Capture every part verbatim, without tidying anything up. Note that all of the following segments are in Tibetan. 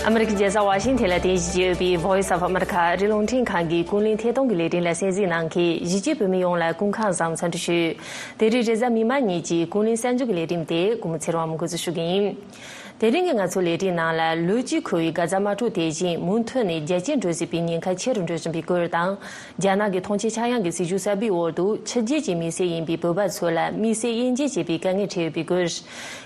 ཨ་མི་རི་ཀའི་རྒྱལ་ས་ཝ་ཤིང་ཐན་ལ་རྟེན་གཞི་བྱས་ཡོད་པའི་Voice of America ཨ་རིའི་རླུང་འཕྲིན་ཁང་གི་ཀུན་གླེང་ཐད་གཏོང་གི་ལས་རིམ་ལ་གསན་གཟིགས་གནང་མཁན་གཞིས་བྱེས་བོད་མི་ཡོངས་ལ་སྐུ་ཁམས་བཟང་འཚམས་འདྲི་ཞུ། དེ་རིང་རེས་གཟའ་མིག་དམར་ཉིན་གྱི་ཀུན་གླེང་གསར་འགྱུར་གྱི་ལས་རིམ་དེ་གུ་མུ་ཚེ་རིང་དབང་མོས་འགོ་འཛུགས་ཞུ་གི་ཡིན། དེ་རིང་གི་ང་ཚོའི་ལས་རིམ་ནང་ལ་ལོ་གཅིག་འཁོར་བའི་གྷ་ཛ་དམག་འཁྲུག་དེ་བཞིན་མུ་མཐུད་ནས་རྒྱ་སྐྱེད་འགྲོ་སྲིད་པའི་ཉེན་ཁ་ཆེ་རུ་འགྲོ་བཞིན་པའི་སྐོར་དང་། རྒྱ་ནག་གི་ཐོངས་མཆན་ཆག་ཡང་གི་སྲིད་ཇུས་གསར་པའི་འོག་ཏུ་ཕྱི་རྒྱལ་གྱི་མི་སེར་ཡིན་པའི་བོད་པ་ཚོ་ལ་དམིགས་བསལ་དབྱེ་འབྱེད་བྱེད་པའི་དཀའ་ངལ་འཕྲད་ཡོད་པའི་སྐོར།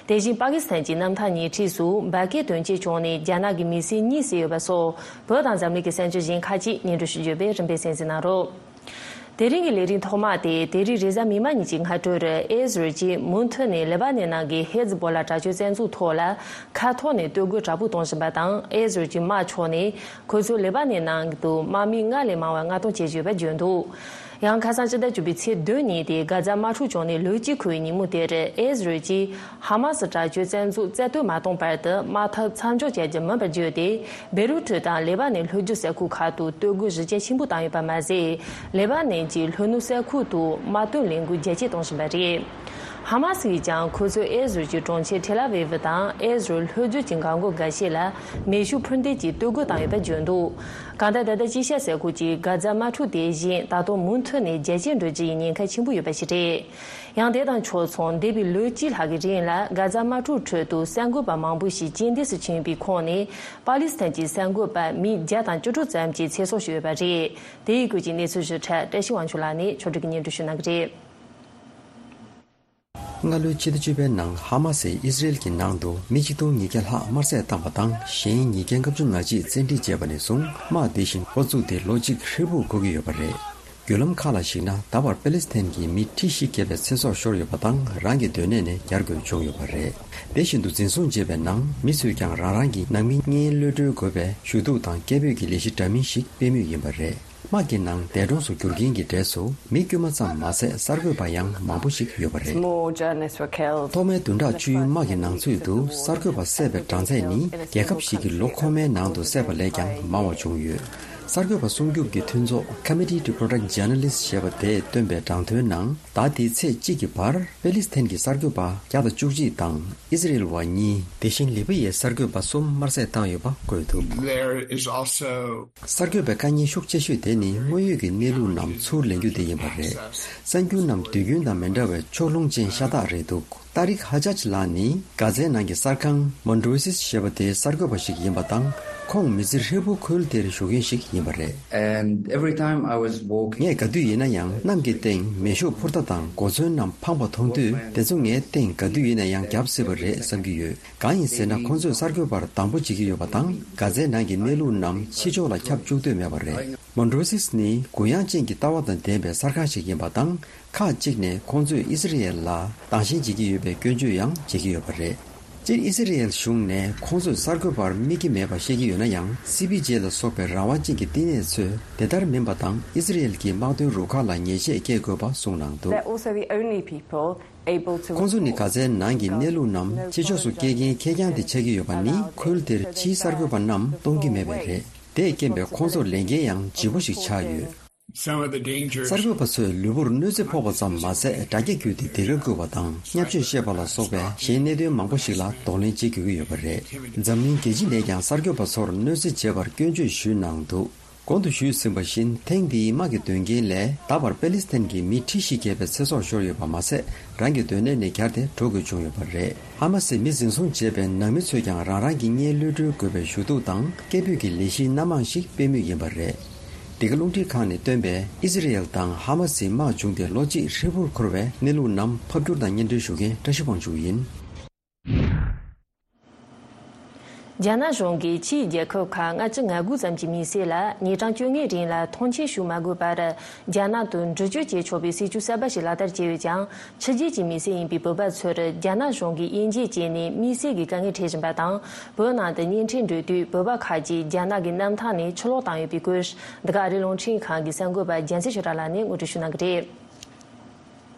དེ་བཞིན་པ་ཀི་སི་ཐན་གྱི་གནམ་ཐང་ཉེ་འཁྲིས་སུ་འབར་གས་དོན་རྐྱེན་བྱུང་ནས་རྒྱ་ནག་གི་མི་སེར་གཉིས་བསད་ཡོད་པ་སོགས་བོད་དང་འཛམ་གླིང་གི་གསར་འགྱུར་གཞན་ཁག་ཅིག་སྙན་སྒྲོན་ཞུ་རྒྱུ་ཡོད་པས་རིམ་པས་གསན་གཟིགས་གནང་རོགས། དེ་རིང་གི་ལས་རིམ་ཐོག་མ་དེ་དེ་རིང་རེས་གཟའ་མིག་དམར་ཉིན་གྱི་སྔ་དྲོར་ཨེ་ཟི་རལ་གྱིས་མུ་མཐུད་ནས་ལེ་པ་ནན་ནང་གི་ཧེ་ཛི་བྷོ་ལ་དྲག་སྤྱོད་བཙན་འཛུལ་ཐོག་ལ་མཁའ་ཐོག་ནས་གཏོར་རྒོལ་དྲག་པོ་གཏོང་བཞིན་པ་དང་། ཨེ་ཟི་རལ་གྱི་དམག་ཕྱོགས་ནས་ཁོ་ཚོས་ལེ་པ་ནན་ནང་དུ་དམག་མི་ལྔ་ལས་མང་བ་མངགས་གཏོང་བྱེད་ཀྱི་ཡོད་པ་བརྗོད་འདུག་ཡང་ཁ་སང་ཕྱི་ཟླ་བཅུ་པའི་ཚེས་བདུན་ཉིན་ཏེ་གྷ་ཛ་དམག་འཁྲུག་བྱུང་ནས་ལོ་གཅིག་འཁོར་བའི་ཉིན་མོ་དེར་ཨེ་ཟི་རལ་གྱིས་ཧ་མ་སི་དྲག་སྤྱོད་བཙན་འཛུལ་རྩ་གཏོར་མ་གཏོང་བར་དུ་དམག་འཐབ་མཚམས་འཇོག་བྱ་རྒྱུ་མིན་པར་བརྗོད་དེ། བེ་རུ་ཊི་དང་ལེ་པ་ནན་ལྷོ་རྒྱུད་ས་ཁུལ་ཁག་ཏུ་གཏོར་རྒོལ་གཞི་རྒྱ་ཆེན་པོ་བཏང་ཡོད་པ་མ་ཟད། ལེ་པ་ནན་གྱི་ལྷོ་ནུབ་ས་ཁུལ་དུ་དམག་དོན་ལས་འགུལ་རྒྱ་སྐྱེད་གཏོང་བཞིན་པ་རེད། ཧ་མ་སི་ཡིས་ཀྱང་ཁོ་ཚོས་ཨེ་ཟི་རལ་གྱི་གྲོང་ཁྱེར་ཐེལ་ཨ་ཝིབ་དང་ཨེ་ཟི་རལ་ལྷོ་རྒྱུད་ཀྱི་འགག་སྒོ་འགའ་ཤས་ལ་མེ་ཤུགས་འཕུར་མདེལ་གྱིས་གཏོར་རྒོལ་བཏང་ཡོད་པ་བརྗོད་འདུག་གང་ལྟར་ད་ལྟ་དཀྱིལ་ཤར་ས་ཁུལ་གྱི་གྷ་ཛ་དམག་འཁྲུག་དེ་བཞིན་ད་དུང་མུ་མཐུད་ནས་རྒྱ་སྐྱེད་འགྲོ་རྒྱུ་ཡི་ཉེན་ཁ་ཆེན་པོ་ཡོད་པ་ཞིག་རེད། ཡང་དེ་དང་ཕྱོགས་མཚུངས་འདས་པའི་ལོ་གཅིག་ལྷག་གི་རིང་ལ་གྷ་ཛ་དམག་འཁྲུག་ཁྲོད་དུ་གསར་འགོད་པ་མང་པོ་ཞིག་རྐྱེན་འདས་སུ་ཕྱིན་པའི་ཁོངས་ནས་པ་ལི་སི་ཐན་གྱི་གསར་འགོད་པ་མི་བརྒྱ་དང་བཅུ་དྲུག་ཙམ་གྱི་ཚེ་སྲོག་ཤོར་ཡོད་པ་རེད། དེའི་སྐོར་གྱི་གནས་ཚུལ་ཞིབ་ཕྲ་བཀྲ་ཤིས་དབང་ཕྱུག་ལགས་ནས་ཕྱོགས་སྒྲིག་གིས་སྙན་སྒྲོན་ཞུ་གནང་གི་རེད། སྔ་ལོའི་ཕྱི་ཟླ་བཅུ་པའི་ནང་ཧ་མ་སིས་ཨི་སི་རེལ་གྱི་ནང་དུ་མི་ཆིག་སྟོང་ཉིས་བརྒྱ་ལྷག་དམར་བསད་བཏང་བ་དང་། གཞན་ཉིས་བརྒྱ་ལྔ་བཅུ་ང་གཅིག་བཙན་ཁྲིད་བྱས་པ་ནས་བཟུང་དམག་དེ་བཞིན་འགོ་བཙུགས་ཏེ་ལོ་གཅིག་ཧྲིལ་པོ་འགོར་གྱི་ཡོད་པ་རེད། བརྒྱུད་ལམ་ཁག་ལ་གཞིགས་ན། ད་བར་པེ་ལི་སི་ཐན་གྱི་མི་ཁྲི་བཞི་བརྒལ་བའི་ཚེ་སྲོག་ཤོར་ཡོད་པ་དང་། རང་གི་སྡོད་གནས་ནས་གྱར་དགོས་བྱུང་ཡོད་པ་རེད། དེ་བཞིན་དུ་འཛིན་བཟུང་བྱས་པའི་ནང་མི་ཚོས་ཀྱང་རང་རང་གི་ནང་མི་གཉེན་གློད་གྲོལ་དགོས་པའི་ཞུ་གཏུག་དང་སྐད་འབོད་ཀྱི་ལས་གཞི་འདྲ་མིན་ཞིག་སྤེལ་མུས་ཡིན་པ་རེད། དམག་གི་ནང་འདས་གྲོངས་སུ་གྱུར་མཁན་གྱི་གྲས་སུ་མི་དཀྱུས་མ་ཙམ་མ་ཟད་གསར་འགོད་པ་ཡང་མང་པོ་ཞིག་ཡོད་པ་རེད། More journalists were killed. ཐོག་མའི་བདུན་ཕྲག་བཅུའི་དམག་གི་ནང་ཚུད་དུ་གསར་འགོད་པ་བསད་པའི་གྲངས་ཚད་ནི་རྒྱལ་ཁབ་ཞིག་གི་ལོ་འཁོར་མའི་ནང་དུ་བསད་པ་ལས་ཀྱང་མང་བ་བྱུང་ཡོད། གསར་འགོད་པ་སྲུང་སྐྱོབ་ཀྱི་མཐུན་ཚོགས་Committee to Protect Journalists ཞེས་པ་དེས་བཏོན་པའི་དྲང་དོན་ནང་། ཟླ་འདིའི་ཚེས་གཅིག་གི་བར་པེ་ལི་སི་ཐན་གྱི་གསར་འགོད་པ་བརྒྱ་དང་བཅུ་གཅིག་དང་ཨི་སི་རེལ་བ་གཉིས། དེ་བཞིན་ལི་བི་ཡའི་གསར་འགོད་པ་གསུམ་དམར་བསད་བཏང་ཡོད་པ་བཀོད་འདུག There is also གསར་འགོད་པའི་དཀའ་ཉེན་ཤུགས་ཆེ་ཤོས་དེ་ནི་དངོས་ཡོད་ཀྱི་གནས་ལུགས་རྣམས་ཚུར་ལེན་རྒྱུ་དེ་ཡིན་པ་རེད། གསར་འགྱུར་རྣམས་དུས་རྒྱུན་དང་མི་འདྲ་བའི་ཕྱོགས་ལྷུང་ཅན་ཤ་སྟག་རེད་འདུག་ཏཱ་རིག་ཧ་ཇཱཇ་ལགས་ནི་གྷ་ཛའི་ནང་གི་གསར་ཁང་Mondroses ཞེས་པ་དེའི་གསར་འགོད་པ་ཞིག་ཡིན་པ་དང་། ཁོང་མི་ཚེ་ཧྲིལ་པོ་ཁུལ་དེར་བཞུགས་མཁན་ཞིག་ཡིན་པ་རེད། And every time I was walking ངས་ག་དུས་ཡིན་ན་ཡང་གནམ་གྱི་སྟེང་མེ་ཤུགས་འཕུར་མདའ་དང་གོ་མཚོན་རྣམས་འཕངས་པ་མཐོང་དུས། དེ་ཚོ་ངའི་སྟེང་ག་དུས་ཡིན་ན་ཡང་བརྒྱབ་སྲིད་པ་རེད་བསམ་གྱི་ཡོད། གང་ཡིན་ཟེར་ན། ཁོང་ཚོས་གསར་འགོད་པར་སྡང་པོ་བྱེད་ཀྱི་ཡོད་པ་དང་། གྷ་ཛའི་ནང་གི་གནས་ལུགས་རྣམས་ཕྱི་ཕྱོགས་ལ་ཁྱབ་བཅུག་འདོད་མེད་པ་རེད། Mondroses ནི་གུ་ཡངས་ཅན་གྱི་ལྟ་བ་དང་ལྡན་པའི་གསར་ཁང་ཞིག་ཡིན་པ་དང་། ཁག་ཅིག་ནས་ཁོང་ཚོས་ཨི་སི་རི་ཡལ་ལ་སྡང་ཞེན་བྱེད་ཀྱི་ཡོད་པའི་སྐྱོན་བརྗོད་ཡང་བྱེད་ཀྱི་ཡོད་པ་རེད། སྤྱིར་ཨི་སི་རི་ཡལ་གཞུང་ནས་ཁོང་ཚོས་གསར་འགོད་པར་དམིགས་ཀྱི་མེད་པ་བཤད་ཀྱི་ཡོད་ན་ཡང་། སི་པི་ཇེ་ལ་སོགས་པའི་རང་དབང་ཅན་གྱི་བསྟི་གནས་ཚོས་དེ་ལྟར་མིན་པ་དང་། ཨི་སི་རི་ཡལ་གྱི་དམག་དོན་རུ་ཁག་ལ་ཉེས་ཆད་བཀལ་དགོས་པ་གསུངས་གནང་འདུག They're also the only people able to ཁོང་ཚོ་ནི་གྷ་ཛའི་ནང་གི་གནས་ལུགས་རྣམས་ཕྱི་ཕྱོགས་སུ་སྐྱེལ་མཁན་ཁེར་རྐྱང་དེ་ཆགས་ཀྱི་ཡོད་པ་ནི། ཁུལ་དེར་ཕྱིའི་གསར་འགོད་པ་རྣམས་གཏོང་གི་མེད་པས་རེད། དེས་རྐྱེན་པས་ཁོང་ཚོར་ལས་འགན་ཡང་ལྗིད་པོ་ཞིག་ཆགས་ཡོད། Some of the dangers གསར་འགོད་པ་ཚོས་ལུས་པོར་གནོད་འཚེ་ཕོག་པ་ཙམ་མ་ཟད། དྲ་རྒྱ་བརྒྱུད་དེ་ལྡིང་ཁ་བསྐུལ་བ་དང་། བརྙས་བཅོས་བཤད་པ་ལ་སོགས་པའི་གཞན་གནད་དོན་མང་པོ་ཞིག་ལ་གདོང་ལེན་བྱེད་དགོས་ཀྱི་ཡོད་པ་རེད། འཛམ་གླིང་རྒྱལ་སྤྱི་ནས་ཀྱང་གསར་འགོད་པ་ཚོར་གནོད་འཚེ་བྱས་པར་སྐྱོན་བརྗོད་ཞུས་གནང་འདུག་གོང་དུ་ཞུས་ཟིན་པ་བཞིན། ཐེངས་འདིའི་དམག་གི་དོན་རྐྱེན་ལས་ད་བར་པེ་ལི་སི་ཐན་གྱི་མི་ཁྲི་བཞི་བརྒལ་བའི་ཚེ་སྲོག་ཤོར་ཡོད་པ་མ་ཟད། རང་གི་སྡོད་གནས་ནས་གྱར་ཏེ་འགྲོ་དགོས་བྱུང་ཡོད་པ་རེད། ཧ་མ་སིས་མི་འཛིན་བཟུང་བྱས་པའི་ནང་མི་ཚོས་ཀྱང་རང་རང་གི་གཉེན་གློད་གྲོལ་དགོས་པའི་ཞུ་གཏུག་དང་སྐད་འབོད་ཀྱི་ལས་གཞིའི་སྣ་མང་ཞིག་སྤེལ་མུས་ཡིན་པ་རེད། འདི་ག་རླུང་འཕྲིན་ཁང་ནས་བཏོན་པའི་ཨི་སི་རི་ཡལ་དང་ཧ་མ་སིའི་དམག་བྱུང་སྟེ་ལོ་གཅིག་ཧྲིལ་པོར་འཁོར་བའི་གནས་ལུགས་རྣམས་ཕབ་བསྒྱུར་དང་སྙན་སྒྲོན་ཞུ་མཁན་བཀྲ་ཤིས་དབང་ཕྱུག་ཡིན། རྒྱ་ནག་གཞུང་གིས་ཕྱིའི་རྒྱལ་ཁབ་ཁག་ལྔ་བཅུ་ང་དགུ་ཙམ་གྱི་མི་སེར་ལ་ཉིན་གྲངས་བཅོ་ལྔའི་རིང་ལ་ཐོངས་མཆན་ཞུ་མ་དགོས་པར། རྒྱ་ནག་ཏུ་འགྲུལ་སྐྱོད་བྱེད་ཆོག་པའི་སྲིད་ཇུས་གསར་པ་ཞིག་ལག་བསྟར་བྱས་ཡོད་ཀྱང་། ཕྱི་རྒྱལ་གྱི་མི་སེར་ཡིན་པའི་བོད་པ་ཚོར་རྒྱ་ནག་གཞུང་གིས་དབྱེ་འབྱེད་བྱས་ནས་དམིགས་བསལ་གྱི་དཀའ་ངལ་འཕྲད་བཞིན་པ་དང་། བོད་ནང་དུ་གཉེན་འཕྲད་འགྲོ་དུས་བོད་པ་ཁག་ཅིག་རྒྱ་ནག་གི་གནམ་ཐང་ནས་ཕྱིར་ལོག་བཏང་ཡོད་པའི་སྐོར། འདི་ག་ཨ་རིའི་རླུང་འཕྲིན་ཁང་གི་གསར་འགོད་པ་རྒྱལ་མཚན་ཆོས་གྲགས་ལགས་ནས་ངོ་སྤྲོད་ཞུ་གནང་གི་རེད།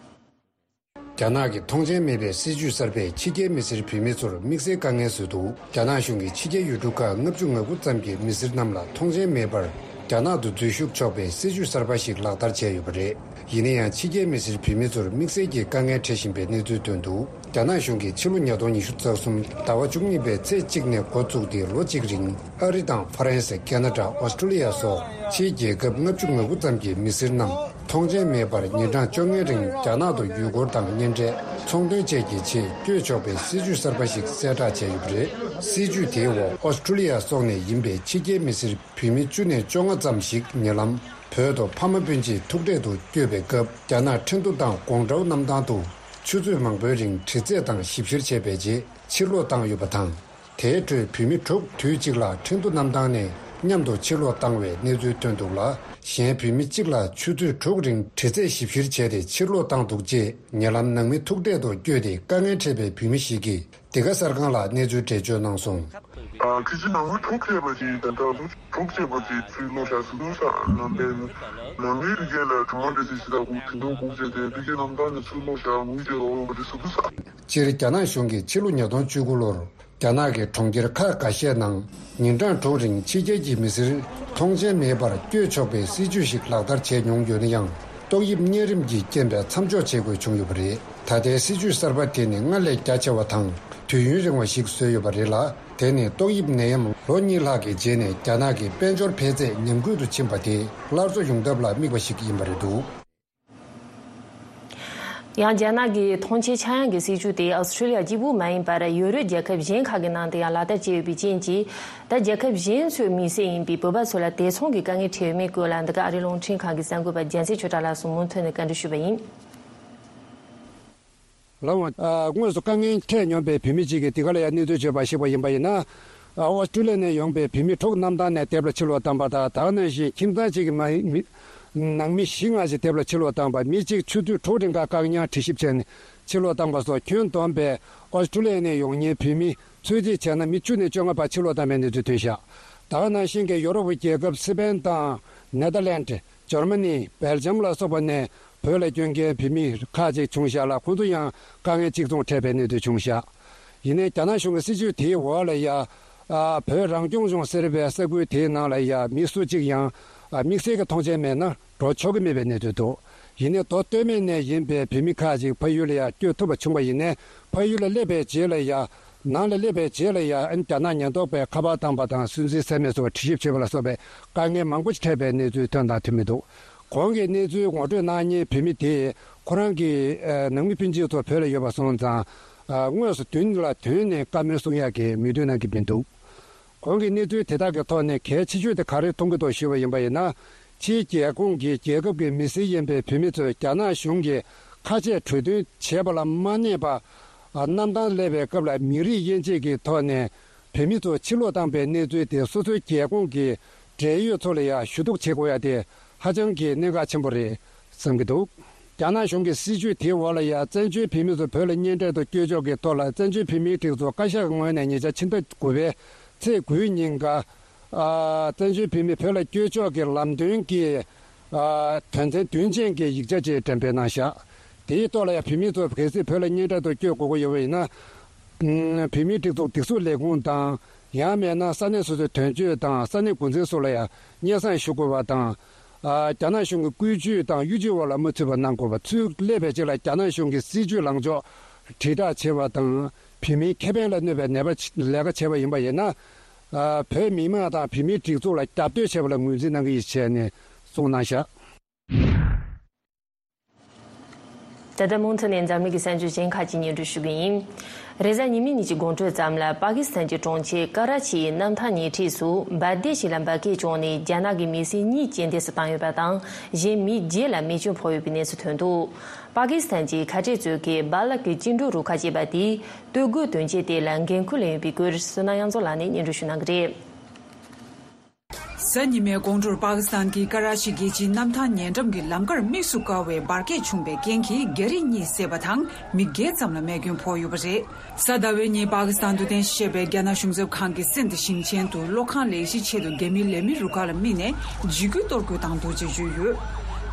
རྒྱ་ནག་གི་ཐོངས་མཆན་མེད་པའི་སྲིད་ཇུས་གསར་པས་ཕྱི་རྒྱལ་མི་སེར་བོད་མི་ཚོར་དམིགས་བསལ་དཀའ་ངལ་བཟོས་འདུག་རྒྱ་ནག་གཞུང་གིས་ཕྱི་རྒྱལ་ཡུལ་གྲུ་ཁག་ལྔ་བཅུ་ང་དགུ་ཙམ་གྱི་མི་སེར་རྣམས་ལ་ཐོངས་མཆན་མེད་པར། རྒྱ་ནག་ཏུ་འཛུལ་ཞུགས་ཆོག་པའི་སྲིད་ཇུས་གསར་པ་ཞིག་ལག་བསྟར་བྱས་ཡོད་པ་རེད། ཡིན་ན་ཡང་ཕྱི་རྒྱལ་མི་སེར་བོད་མི་ཚོར་དམིགས་བསལ་གྱི་དཀའ་ངལ་འཕྲད་བཞིན་པའི་གནས་ཚུལ་ཐོན་འདུག་རྒྱ་ནག་གཞུང་གིས་ཕྱི་ལོ་ཉིས་སྟོང་ཉི་ཤུ་རྩ་གསུམ་ཟླ་བ་བཅུ་གཉིས་པའི་ཚེས་གཅིག་ནས་འགོ་བཙུགས་ཏེ་ལོ་གཅིག་རིང་ཨ་རི་དང་ཧྥ་རན་སི། ཁེ་ན་ཌ། ཨོ་སི་ཀྲུ་ལི་ཡ་སོགས་ཕྱིའི་རྒྱལ་ཁབ་ལྔ་བཅུ་ང་དགུ་ཙམ་གྱི་མི་སེར་རྣམས་ཐོངས་མཆན་མེད་པར་ཉིན་གྲངས་བཅོ་ལྔའི་རིང་རྒྱ་ནག་ཏུ་ཡུལ་སྐོར་དང་གཉེན་འཕྲད། ཚོང་དོན་བཅས་ཀྱི་ཆེད་བསྐྱོད་ཆོག་པའི་སྲིད་ཇུས་གསར་པ་ཞིག་གསལ་བསྒྲགས་བྱས་ཡོད་པ་རེད། སྲིད་ཇུས་དེའི་འོག་ཨོ་སི་ཀྲུ་ལི་ཡ་སོགས་ནས་ཡིན་པའི་ཕྱི་རྒྱལ་མི་སེར་བོད་མི་བཅུ་ནས་བཅོ་ལྔ་ཙམ་ཞིག་ཉེ་ལམ་བོད་དུ་ཕ་མ་སྤུན་མཆེད་ཐུག་འཕྲད་དུ་བསྐྱོད་པའི་སྐབས་རྒྱ་ནག་ཁྲིན་ཏུ་དང་ཀོང་ཀྲོའུ་གནམ་ཐང་དུ་ཆུ་ཚོད་མང་པོའི་རིང་དྲི་རྩད་དང་ཞིབ་བཤེར་བྱས་པའི་རྗེས་ཕྱིར་ལོག་བཏང་ཡོད་པ་དང་། དེའི་ཁྲོད་བོད་མི་དྲུག་དུས་གཅིག་ལ་ཁྲིན་ཏུ་གནམ་ཐང་ནས་མཉམ་དུ་ཕྱིར་ལོག་བཏང་བའི་གནས་ཚུལ་ཐོན་འདུག་ལ། གཞན་བོད་མི་གཅིག་ལ་ཆུ་ཚོད་དྲུག་རིང་དྲི་རྩད་ཞིབ་བཤེར་བྱས་ཏེ་ཕྱིར་ལོག་བཏང་འདུག་ཅེས་ཉེ་ལམ་ནང་མི་ཐུག་འཕྲད་དུ་བསྐྱོད་དེ་དཀའ་ངལ་འཕྲད་པའི་བོད་མི་ཞིག་གིས་འདི་ག་གསར་ཁང་ལ་གནས་ཚུལ་འགྲེལ་བརྗོད་གནང་སོང་། ཨ། ཁི་ཅི་ནང་མི་དྲུག་བྱས་པ་ཅིག་དང་ད་ལོ་དྲུག་བྱས་པ་ཅིག་ཚུར་ལོག་བཞག་སུ་དུ་ས་ནང་པའི་ནང་མིའི་རིགས་ལ་གྲོང་མ་འདྲ་ཅིག་ཞིག་དང་གུང་ཁྲན་ཏང་གུང་བྱས་ཏེ་ཕི་ཀི་གནམ་ཐང་ནས་ཚུར་ལོག་བཞག་ངུས་བྱས་རོགས་ཡོང་བ་རེད་སུ་དུ་ས། སྤྱིར་རྒྱ་ནག་གཞུང་གིས་ཕྱི་ལོ་ཉིས་སྟོང་བཅུ་དགུ་ལོར་རྒྱ་ནག་གི་གྲོང་ཁྱེར་ཁག་འགའ་ཤས་ནང་ཉིན་གྲངས་དྲུག་རིང་ཕྱི་རྒྱལ་གྱི་མི་སེར་ཐོངས་མཆན་མེད་པར་བསྐྱོད་ཆོག་པའི་སྲིད་ཇུས་ཤིག་ལག་བསྟར་བྱས་མྱོང་ཡོད་ན་ཡང་ཏོག་དབྱིབས་གཉན་རིམས་ཀྱི་རྐྱེན་པས་མཚམས་འཇོག་བྱེད་དགོས་བྱུང་ཡོད་པ་རེད། ད་ལྟའི་སྲིད་ཇུས་གསར་པ་དེ་ནི་སྔར་ལས་རྒྱ་ཆེ་བ་དང་དུས་ཡུན་རིང་བ་ཞིག་བཟོས་ཡོད་པ་རེད་ལ། དེ་ནི་ཏོག་དབྱིབས་ནད་ཡམས་ལོ་གཉིས་ལྷག་གི་རྗེས་ནས་རྒྱ་ནག་གི་དཔལ་འབྱོར་འཕེལ་ཚད་ཉམས་རྒུད་དུ་ཕྱིན་པ་དེ་སླར་གསོ་ཡོང་ཐབས་ལ་དམིགས་པ་ཞིག་ཡིན་པ་རེད་འདུག་ཡང་རྒྱ་ནག་གི་ཐོངས་མཆན་ཆག་ཡང་གི་སྲིད་ཇུས་དེ་ཨོ་སི་ཀྲུ་ལི་ཡ་གཅིག་པུ་མ་ཡིན་པར་ཡོ་རོབ་རྒྱལ་ཁབ་གཞན་ཁག་གི་ནང་དུ་ཡང་ལག་བསྟར་བྱས་ཡོད་པའི་རྐྱེན་གྱིས། ད་རྒྱལ་ཁབ་གཞན་ཚོའི་མི་སེར་ཡིན་པའི་བོད་པ་ཚོ་ལ་དེ་མཚུངས་ཀྱི་དཀའ་ངལ་འཕྲད་ཡོད་མེད་སྐོར་ལ་འདི་ག་ཨ་རིའི་རླུང་འཕྲིན་ཁང་གི་གསར་འགོད་པ་རྒྱལ་མཚན་ཆོས་གྲགས་ལགས་སུ་མུ་མཐུད་ནས་བཀའ་འདྲི་ཞུས་པ་ཡིན། ལགས་འོང་། ཨ། དངོས་སུ་དཀའ་ངལ་འཕྲད་མྱོང་པའི་བོད་མི་གཅིག་གིས་འདི་ག་ལ་ཡང་གནས་ཚུལ་བརྗོད་པར་གཞིགས་པ་ཡིན་པ་ཡིན་ན། ཨ། ཨོ་སི་ཀྲུ་ལི་ཡ་ནས་ཡོང་པའི་བོད་མི་དྲུག་གནམ་ཐང་ནས་དེབ་ལ་ཕྱིར་ལོག་བཏང་པ་དང་། ད་ག་ནང་བཞིན་ཁྱིམ་ཚང་གཅིག་གི་མ་མི་ནང་མི་བཞི་ལྔ་ཞིག་དེབ་ལ་ཕྱིར་ལོག་བཏང་པ། མི་གཅིག་ཆུ་ཚོད་དྲུག་རིང་ག་བཀག་ཉར་དྲི་ཞིབ་བྱས་ནས་ཕྱིར་ལོག་བཏང་པ་སོགས་ཁྱོན་བསྡོམས་པས་ཨོ་སི་ཀྲུ་ལི་ཡ་ནས་ཡོང་མཁན་བོད་མི་ཚོད་རྩིས་བྱས་ན་མི་བཅུ་ནས་བཅོ་ལྔ་བར་ཕྱིར་ལོག་བཏང་པའི་གནས་ཚུལ་ཐོན་བཞག་ད་ག་ནང་བཞིན་གྱི་ཡོ་རོབ་ཀྱི་རྒྱལ་ཁབ་སི་པན་དང་ནེ་དར་ལན་ཌི། འཇར་མ་ནི། སྦེལ་ཇམ་ལ་སོགས་པ་ནས་བོད་ལ་བསྐྱོད་མཁན་བོད་མི་ཁག་ཅིག་བྱུང་བཞག་ལ། ཁོང་ཚོ་ཡང་དཀའ་ངལ་གཅིག་མཚུངས་འཕྲད་པའི་གནས་ཚུལ་བྱུང་བཞག་ཡིན་ནའི་རྒྱ་ནག་གཞུང་གི་སྲིད་ཇུས་དེའི་འོག་ལ་ཡ། ཨ། བོད་རང་སྐྱོང་ལྗོངས་ཟེར་བའི་ས་ཁུལ་དེའི་ནང་ལ་ཡ་མི་སུ་གཅིག་ཡང་། ཨ། དམིགས་བསལ་གྱི་ཐོངས་མཆན་མེད་ན་འགྲོ་ཆོག་གི་མེད་པའི་གནས་ཚུལ་འདུག་ཡིན་ནའི་མདོ་སྟོད་སྨད་ནས་ཡིན་པའི་བོད་མི་ཁག་ཅིག་ཕ་ཡུལ་ལ་ཡ་བསྐྱོད་ཐུབ་པ་བྱུང་བ་ཡིན་ནའི་ཕ་ཡུལ་ལ་སླེབས་པའི་རྗེས་ལ་ཡ། ནང་ལ་སླེབས་པའི་རྗེས་ལ་ཡང་རྒྱ་ནག་ཉེན་རྟོག་པས་ཁ་པར་བཏང་པ་དང་སུན་གཙེར་ཟ་མ་སོགས་དྲི་ཞིབ་བྱེད་པ་ལ་སོགས་པའི་དཀའ་ངལ་མང་པོ་ཞིག་འཕྲད་པའི་གནས་ཚུལ་ཐོན་དང་ཐོན་མི་འདུག་གོང་གི་གནས་ཚུལ་ངོ་སྤྲོད་གནང་མཁན་བོད་མི་དེས་ཁོ་རང་གི་ནང་མི་སྤུན་མཆེད་ཚོ་བོད་ལ་ཡོད་པ་སོང་ཙང་དངོས་སུ་མདུན་ལ་ཐོན་ནས་བཀའ་མོལ་གསུང་ཡག་གི་མོས་མཐུན་གནང་གི་མི་འདུག་གོང་གི་གནས་ཚུལ་དེ་དག་གི་ཐོག་ནས་གལ་ཆེ་ཤོས་དེ་ག་རེ་མཐོང་གི་འདུག་ཞུས་པ་ཡིན་པ་ཡིན་ན། ཕྱིའི་རྒྱལ་ཁོངས་ཀྱི་རྒྱལ་ཁབ་ཀྱི་མི་སེར་ཡིན་པའི་བོད་མི་ཚོས་རྒྱ་ནག་གཞུང་གིས་ཁ་ཆད་གྲོས་མཐུན་བྱས་པ་ལ་མ་གནས་པ། ཨ། གནམ་ཐང་སླེབས་པའི་སྐབས་ལ་མི་རིགས་དབྱེ་འབྱེད་ཀྱི་ཐོག་ནས་བོད་མི་ཚོ་ཕྱིར་ལོག་བཏང་པའི་གནས་ཚུལ་དེ་སོ་སོའི་རྒྱལ་ཁོངས་ཀྱི་འབྲེལ་ཡོད་ཚོ་ལ་ཡང་ཞུ་གཏུག་བྱེད་དགོས་ཡ་དེ་ཧ་ཅང་གི་གནད་འགག་ཆེན་པོ་རེད་བསམ་གྱི་འདུག་རྒྱ་ནག་གཞུང་གི་སྲིད་ཇུས་དེའི་འོག་ལ་ཡང་བཙན་བྱོལ་བོད་མི་ཚོ་བོད་ལ་གཉེན་འཕྲད་དུ་བསྐྱོད་ཕྱོགས་ཀྱི་ཐོག་ལ་བཙན་བྱོལ་བོད་མིའི་སྒྲིག་འཛུགས་བཀའ་ཤག་གི་ངོས་ནས་ཉེ་ཆར་ཕྱི་ཟླ་དགུ་པའི་ཚེས་དགུའི་ཉིན་ཀ་ཨ། བཙན་བྱོལ་བོད་མི་བོད་ལ་བསྐྱོད་ཕྱོགས་ཀྱི་ལམ་སྟོན་གྱི། ཨ། དོན་ཚན་བདུན་ཅན་གྱི་ཡིག་ཆ་ཅིག་འགྲེམས་སྤེལ་གནང་བཞག་དེའི་ཐོག་ལ་ཡང་བོད་མི་ཚོ་གལ་སྲིད་བོད་ལ་གཉེན་འཕྲད་དུ་བསྐྱོད་དགོས་ཀྱི་ཡོད་པ་ཡིན་ན། ཨ། བོད་མིའི་སྒྲིག་འཛུགས་སྒྲིག་འཛུགས་ལས་ཁུངས་དང་། ཡང་མིན་ན་ས་གནས་སོ་སོའི་དོན་གཅོད་དང་ས་གནས་འགོ་འཛིན་སོགས་ལ་ཡང་སྙན་སེང་ཞུ་དགོས་པ་དང་། ཨ། རྒྱ་ནག་གཞུང་གི་བཀོད་ཇུས་དང་གཡོ་ཇུས་འོག་ལ་མ་ཚུད་པ་གནང་དགོས་པ། ཚུར་སླེབས་པའི་རྗེས་ལ་རྒྱ་ནག་གཞུང་གི་སྲིད་ཇུས་ལངས་ཕྱོགས་དྲིལ་བསྒྲགས་བྱེད་པ་དང་། བོད་མིའི་ཁེ་ཕན་ལ་གནོད་པའི་ནད་པ་ལས་ཀ་བྱས་པ་ཡིན་པ་ཡིན་ན། ཨ། བོད་མི་མང་དང་བོད་མིའི་སྒྲིག་འཛུགས་ལ་རྒྱབ་གཏོད་བྱས་པ་ལ་ངོས་འཛིན་གནང་གི་ཡིན་ཞེས་ནས་གསུངས་གནང་བཞག་ད་ལྟ་མུ་མཐུད་ནས་འཛམ་གླིང་གི་གསར་འགྱུར་གཞན་ཁག་ཅིག་སྙན་སྒྲོན་ཞུ་གི་ཡིན། རེས་གཟའ་ཉི་མའི་ཉིན་གྱི་དགོང་དྲོ་ཙམ་ལ་པ་ཀི་སི་ཐན་གྱི་གྲོང་ཁྱེར་ཀ་ར་ཆི་ཡི་གནམ་ཐང་ཉེ་འཁྲིས་སུ་འབར་མདེལ་ཞིག་ལ་འབར་གས་བྱུང་ནས་རྒྱ་ནག་གི་མི་སེར་གཉིས་རྐྱེན་འདས་སུ་བཏང་ཡོད་པ་དང་གཞན་མི་བརྒྱད་ལ་རྨས་སྐྱོན་ཕོག་ཡོད་པའི་གནས་ཚུལ་ཐོན་འདུག་པ་ཀི་སི་ཐན་གྱི་ཁ་བྲལ་གཙོས་ཀྱི་སྦ་ལག་གི་བཅིངས་འགྲོལ་རུ་ཁག་ཅེས་པ་དེས་སྟོད་རྒུད་དོན་རྐྱེན་དེ་ལ་འགན་འཁུར་ལེན་ཡོད་པའི་སྐོར་བསོད་ནམས་དབྱངས་མཚོ་ལགས་ནས་སྙན་སྒྲོན་ཞུ་གནང་གི་རེད། གཟའ་ཉི་མའི་དགོང་དྲོར་པ་ཀི་སི་ཐན་གྱི་ཀ་ར་ཆི་རྒྱལ་སྤྱིའི་གནམ་ཐང་ཉེ་འགྲམ་གྱི་ལམ་ཁར་དམིགས་སུ་བཀར་བའི་འབར་གས་བྱུང་བའི་རྐྱེན་གྱིས་རྒྱ་རིགས་གཉིས་བསད་པ་དང་མི་བརྒྱད་ཙམ་ལ་རྨས་སྐྱོན་ཕོག་ཡོད་པ་རེད། གཟའ་ཟླ་བའི་ཉིན་པ་ཀི་སི་ཐན་དུ་རྟེན་གཞི་བྱས་པའི་རྒྱ་ནག་གཞུང་ཚབ་ཁང་གི་སིན་དྷི་ཞིང་ཆེན་དུ་གློག་ཁང་ལས་གཞིའི་ཆེད་དུ་རྒྱ་མིའི་ལས་མི་རུ་ཁག་ལ་དམིགས་ནས་འཇིགས་སྐུལ་གཏོར་རྒོལ་བཏང་འདུག་ཅེས་བརྗོད་ཡོད།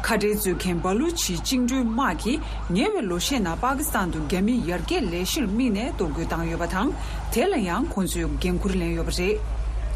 ཁ་བྲལ་རྩོད་མཁན་སྦ་ལུ་ཆི་བཅིངས་འགྲོལ་དམག་གིས་ཉེ་བའི་ལོ་ཤས་ནང་པ་ཀི་སི་ཐན་དུ་རྒྱ་མིའི་ཡར་རྒྱས་ལས་གཞིར་དམིགས་ནས་གཏོར་རྒོལ་བཏང་ཡོད་པ་དང་དེ་ལ་ཡང་ཁོང་ཚོས་འགན་འཁུར་ལེན་ཡོད་པ་རེད།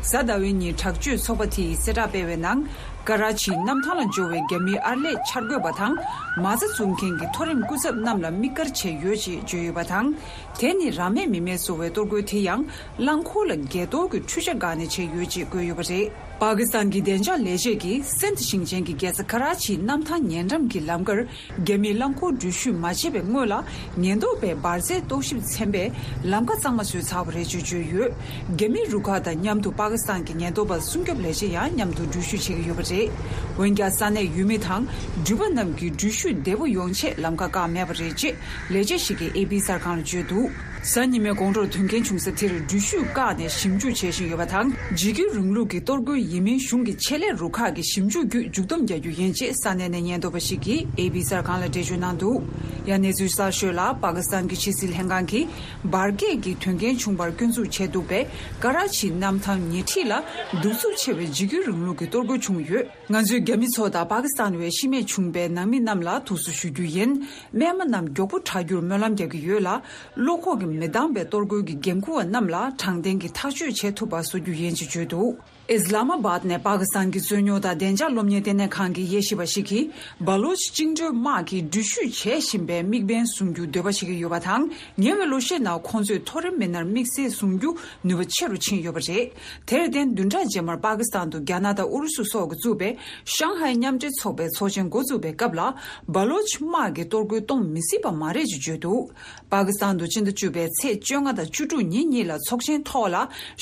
གཟའ་ཟླ་བའི་ཉིན་དྲག་སྤྱོད་ཚོགས་པ་དེས་གསལ་བསྒྲགས་སྤེལ་བའི་ནང་། ཀ་ར་ཆིའི་གནམ་ཐང་ལ་འབྱོར་བའི་རྒྱ་མིའི་ཨར་ལས་འཆར་འགོད་པ་དང་། མ་རྩ་འཛུགས་མཁན་གྱི་མཐོ་རིམ་སྐུ་ཚབ་རྣམས་ལ་དམིགས་བཀར་བྱས་ཡོད་ཅེས་བརྗོད་ཡོད་པ་དང་། དེ་ནི་རང་མེད་མི་མེད་བཟོ་བའི་གཏོར་རྒོལ་དེ་ཡང་། རླངས་འཁོར་ལ་འགས་གཏོར་གྱི་འཕྲུལ་ཆས་བཀག་ནས་བྱས་ཡོད་ཅེས་བཀོད་ཡོད་པ་རེད། པ་ཀི་སི་ཐན་གྱི་བདེ་འཇགས་ལས་བྱེད་ཀྱིས་སིན་དྷ་ཞིང་ཆེན་གྱི་རྒྱལ་ས་ཀ་ར་ཆིའི་གནམ་ཐང་ཉེ་འགྲམ་གྱི་ལམ་ཁར། རྒྱ་མིས་རླངས་འཁོར་འགྲུལ་བཞུད་མ་བྱས་པའི་སྔོན་ལ། ཉེན་རྟོག་པས་འབར་རྫས་རྟོག་ཞིབ་ཚན་པས་ལམ་ཁ་གཙང་མ་བཟོས་ཚར་བ་རེད་ཅེས་བརྗོད་ཡོད། རྒྱ་མིའི་རུ་ཁག་དང་མཉམ་དུ་པ་ཀི་སི་ཐན་གྱི་ཉེན་རྟོག་པ་སྲུང་སྐྱོབ་ལས་བྱེད་ཡང་མཉམ་དུ་འགྲུལ་བཞུད་བྱེད་ཀྱི་ཡོད་པ་རེད། འོན་ཀྱང་། ས་གནས་ཡུལ་མི་དང་འགྲུལ་པ་རྣམས་ཀྱིས་འགྲུལ་བཞུད་བདེ་པོ་ཡོང་ཆེད་ལམ་ཁ་བཀག་མེད་པ་རེད་ཅེས་ལས་བྱེད་ཞིག་གིས་ཨེ་པི་གསར་ཁང་ལ་བརྗོད་འདུག་གཟའ་ཉི་མའི་དགོང་དྲོར་དོན་རྐྱེན་བྱུང་ས་དེར་འགྲུལ་བཞུད་བཀག་ནས་ཞིབ་འཇུག་བྱེད་བཞིན་ཡོད་པ་དང་། འཇིགས་སྐུལ་རིང་ལུགས་ཀྱི་གཏོར་རྒོལ་ཡིན་མིན་གཞུང་གི་ཆེད་ལས་རུ་ཁག་གིས་ཞིབ་འཇུག་བརྒྱུད་མཇུག་བསྡོམས་རྒྱག་རྒྱུ་ཡིན་ཅེས་ས་གནས་ནས་ཉེན་རྟོག་པ་ཞིག་གིས་ཨེ་པི་གསར་ཁང་ལ་འགྲེལ་བརྗོད་གནང་འདུག་ཡང་གནས་ཚུལ་གསར་ཤོས་ལ། པ་ཀི་སི་ཐན་གྱི་ཕྱི་སྲིད་ལྷན་ཁང་གིས་འབར་གས་ཀྱི་དོན་རྐྱེན་བྱུང་བར་སྐྱོན་འཛུགས་བྱས་འདུག་པས། ཀ་ར་ཆི་གནམ་ཐང་ཉེ་འཁྲིས་ལ་གདུག་རྩུབ་ཆེ་བའི་འཇིགས་སྐུལ་རིང་ལུགས་ཀྱི་གཏོར་རྒོལ་བྱུང་ཡོད། ང་ཚོས་རྒྱ་མི་ཚོ་དང་པ་ཀི་སི་ཐན་བས་ཤི་རྨས་བྱུང་པའི་ནང་མི་རྣམས་ལ་ཐུགས་གསོ་ཞུ་རྒྱུ་ཡིན། རྨས་མ་རྣམས་མགྱོགས་པོ་དྲག་རྒྱུར་སྨོན་ལམ་རྒྱག་གི་ཡོད་ལ། བློ་ཁོག་གིས་མི་འདང་པའི་གཏོར་རྒོལ་གྱི་འགན་འཁུར་བ་རྣམས་ལ་དྲང་བདེན་གྱི་ཐག་གཅོད་བྱེད་ཐུབ་པ་བཟོ་རྒྱུ་ཡིན་ཅེས་བརྗོད་འདུག་ཨིས་ལ་མ་བཱད་ནས་པ་ཀི་སི་ཐན་གྱི་རྩོད་རྙོག་དང་བདེ་འཇགས་སློབ་གཉེར་ལྟེ་གནས་ཁང་གི་དབྱེ་ཞིབ་པ་ཞིག་གིས། སྦ་ལོ་ཆི་བཅིངས་འགྲོལ་དམག་གིས་འགྲུལ་བཞུད་བྱེད་བཞིན་པའི་དམིགས་འབེན་བཟུང་རྒྱུ་འདོད་པ་བྱེད་ཀྱི་ཡོད་པ་དང་། ཉེ་བའི་ལོ་ཤས་ནང་ཁོང་ཚོས་མཐོ་རིམ་མི་སྣར་དམིགས་བསལ་བཟུང་རྒྱུ་ནུས་པ་ཆེ་རུ་ཕྱིན་ཡོད་པ་རེད། དེར་བརྟེན། བདུན་ཕྲག་རྗེས་མར་པ་ཀི་སི་ཐན་དུ་རྒྱ་ནག་དང་ཨུ་རུ་སུ་སོགས་ཀྱིས་བཙུགས་པའི་ཤང་ཧའེ་མཉམ་འབྲེལ་ཚོགས་པའི་ཚོགས་ཆེན་འགོ་འཛུགས་པའི་སྐབས་ལ། སྦ་ལོ་ཆི་དམག་གིས་གཏོར་རྒོལ་གཏོང་མི་སྲིད་པ་མ་རེད་ཅེས་བརྗོད་འདུག་པ་ཀི་སི་ཐན་དུ་སྤྱི་ཟླ་བཅུ་པའི་ཚེས་བཅོ་ལྔ་དང་བཅུ་དྲུག་ཉིན་གཉིས་ལ་ཚོགས་ཆེན་ཐོག་ལ།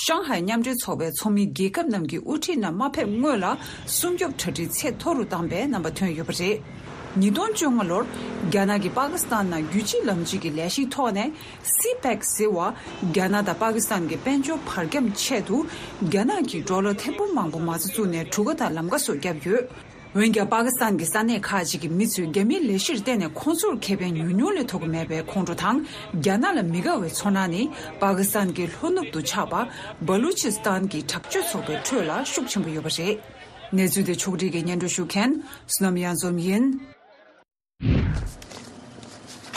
ཤང་ཧའེ་མཉམ་འབྲེལ་ཚོགས་པའི་ཚོགས་མི་རྒྱལ་ཁབ་རྣམས་ཀྱི་དབུ་ཁྲིད་རྣམས་མ་ཕེབས་སྔོན་ལ། སྲུང་སྐྱོབ་གྲ་སྒྲིག་ཚད་མཐོ་རུ་བཏང་པའི་རྣམ་པ་ཐོན་ཡོད་པ་རེད། ཉིས་སྟོང་བཅོ་ལྔ་ལོར། རྒྱ་ནག་གིས་པ་ཀི་སི་ཐན་ནང་རྒྱུད་གཅིག་ལམ་གཅིག་གི་ལས་གཞིའི་ཐོག་ནས། སི་པེག་ཟེར་བ། རྒྱ་ནག་དང་པ་ཀི་སི་ཐན་གྱི་དཔལ་འབྱོར་བར་ཁྱམས་ཆེད་དུ། རྒྱ་ནག་གིས་ཌོ་ལར་ཐེར་འབུམ་མང་པོ་མ་རྩ་བཙུགས་ནས་གྲུ་ཁ་དང་ལམ་ཁ་སོགས་བརྒྱབ་ཡོད། འོན་ཀྱང་། པ་ཀི་སི་ཐན་གྱི་ས་གནས་ཁག་ཅིག་གི་མི་ཚོས་རྒྱ་མིའི་ལས་གཞིར་བརྟེན་ནས་ཁོང་ཚོར་ཁེ་ཕན་ཉུང་ཉུང་ལས་ཐོབ་ཀྱི་མེད་པའི་ཁོང་ཁྲོ་དང་། རྒྱ་ནག་ལ་མི་དགའ་བའི་ཚོར་སྣང་ནི། པ་ཀི་སི་ཐན་གྱི་ལྷོ་ནུབ་ཏུ་ཆགས་པ། སྦ་ལུ་ཆི་སི་ཐན་གྱི་དྲག་སྤྱོད་ཚོགས་པའི་ཁྲོད་ལ་ཤུགས་ཆེན་པོ་ཡོད་པ་རེད། གནས་ཚུལ་དེ་ཕྱོགས་སྒྲིག་གིས་སྙན་སྒྲོན་ཞུ་མཁན། བསོད་ནམས་གཡང་འཛོམས་ཡིན།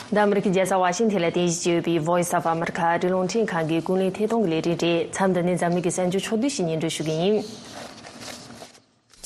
འདི་ཨ་མི་རི་ཀའི་རྒྱལ་ས་ཝ་ཤིང་ཐན་ལ་རྟེན་གཞི་བྱས་ཡོད་པའི་Voice of America ཨ་རིའི་རླུང་འཕྲིན་ཁང་གི་ཀུན་གླེང་ཐད་གཏོང་གི་ལས་རིམ་རེད། མཚམས་འདི་ནས་འཛམ་གླིང་གི་གསར་འགྱུར་ཕྱོགས་བསྡུས་ཤིག་སྙན་སྒྲོན་ཞུ་གི་ཡིན།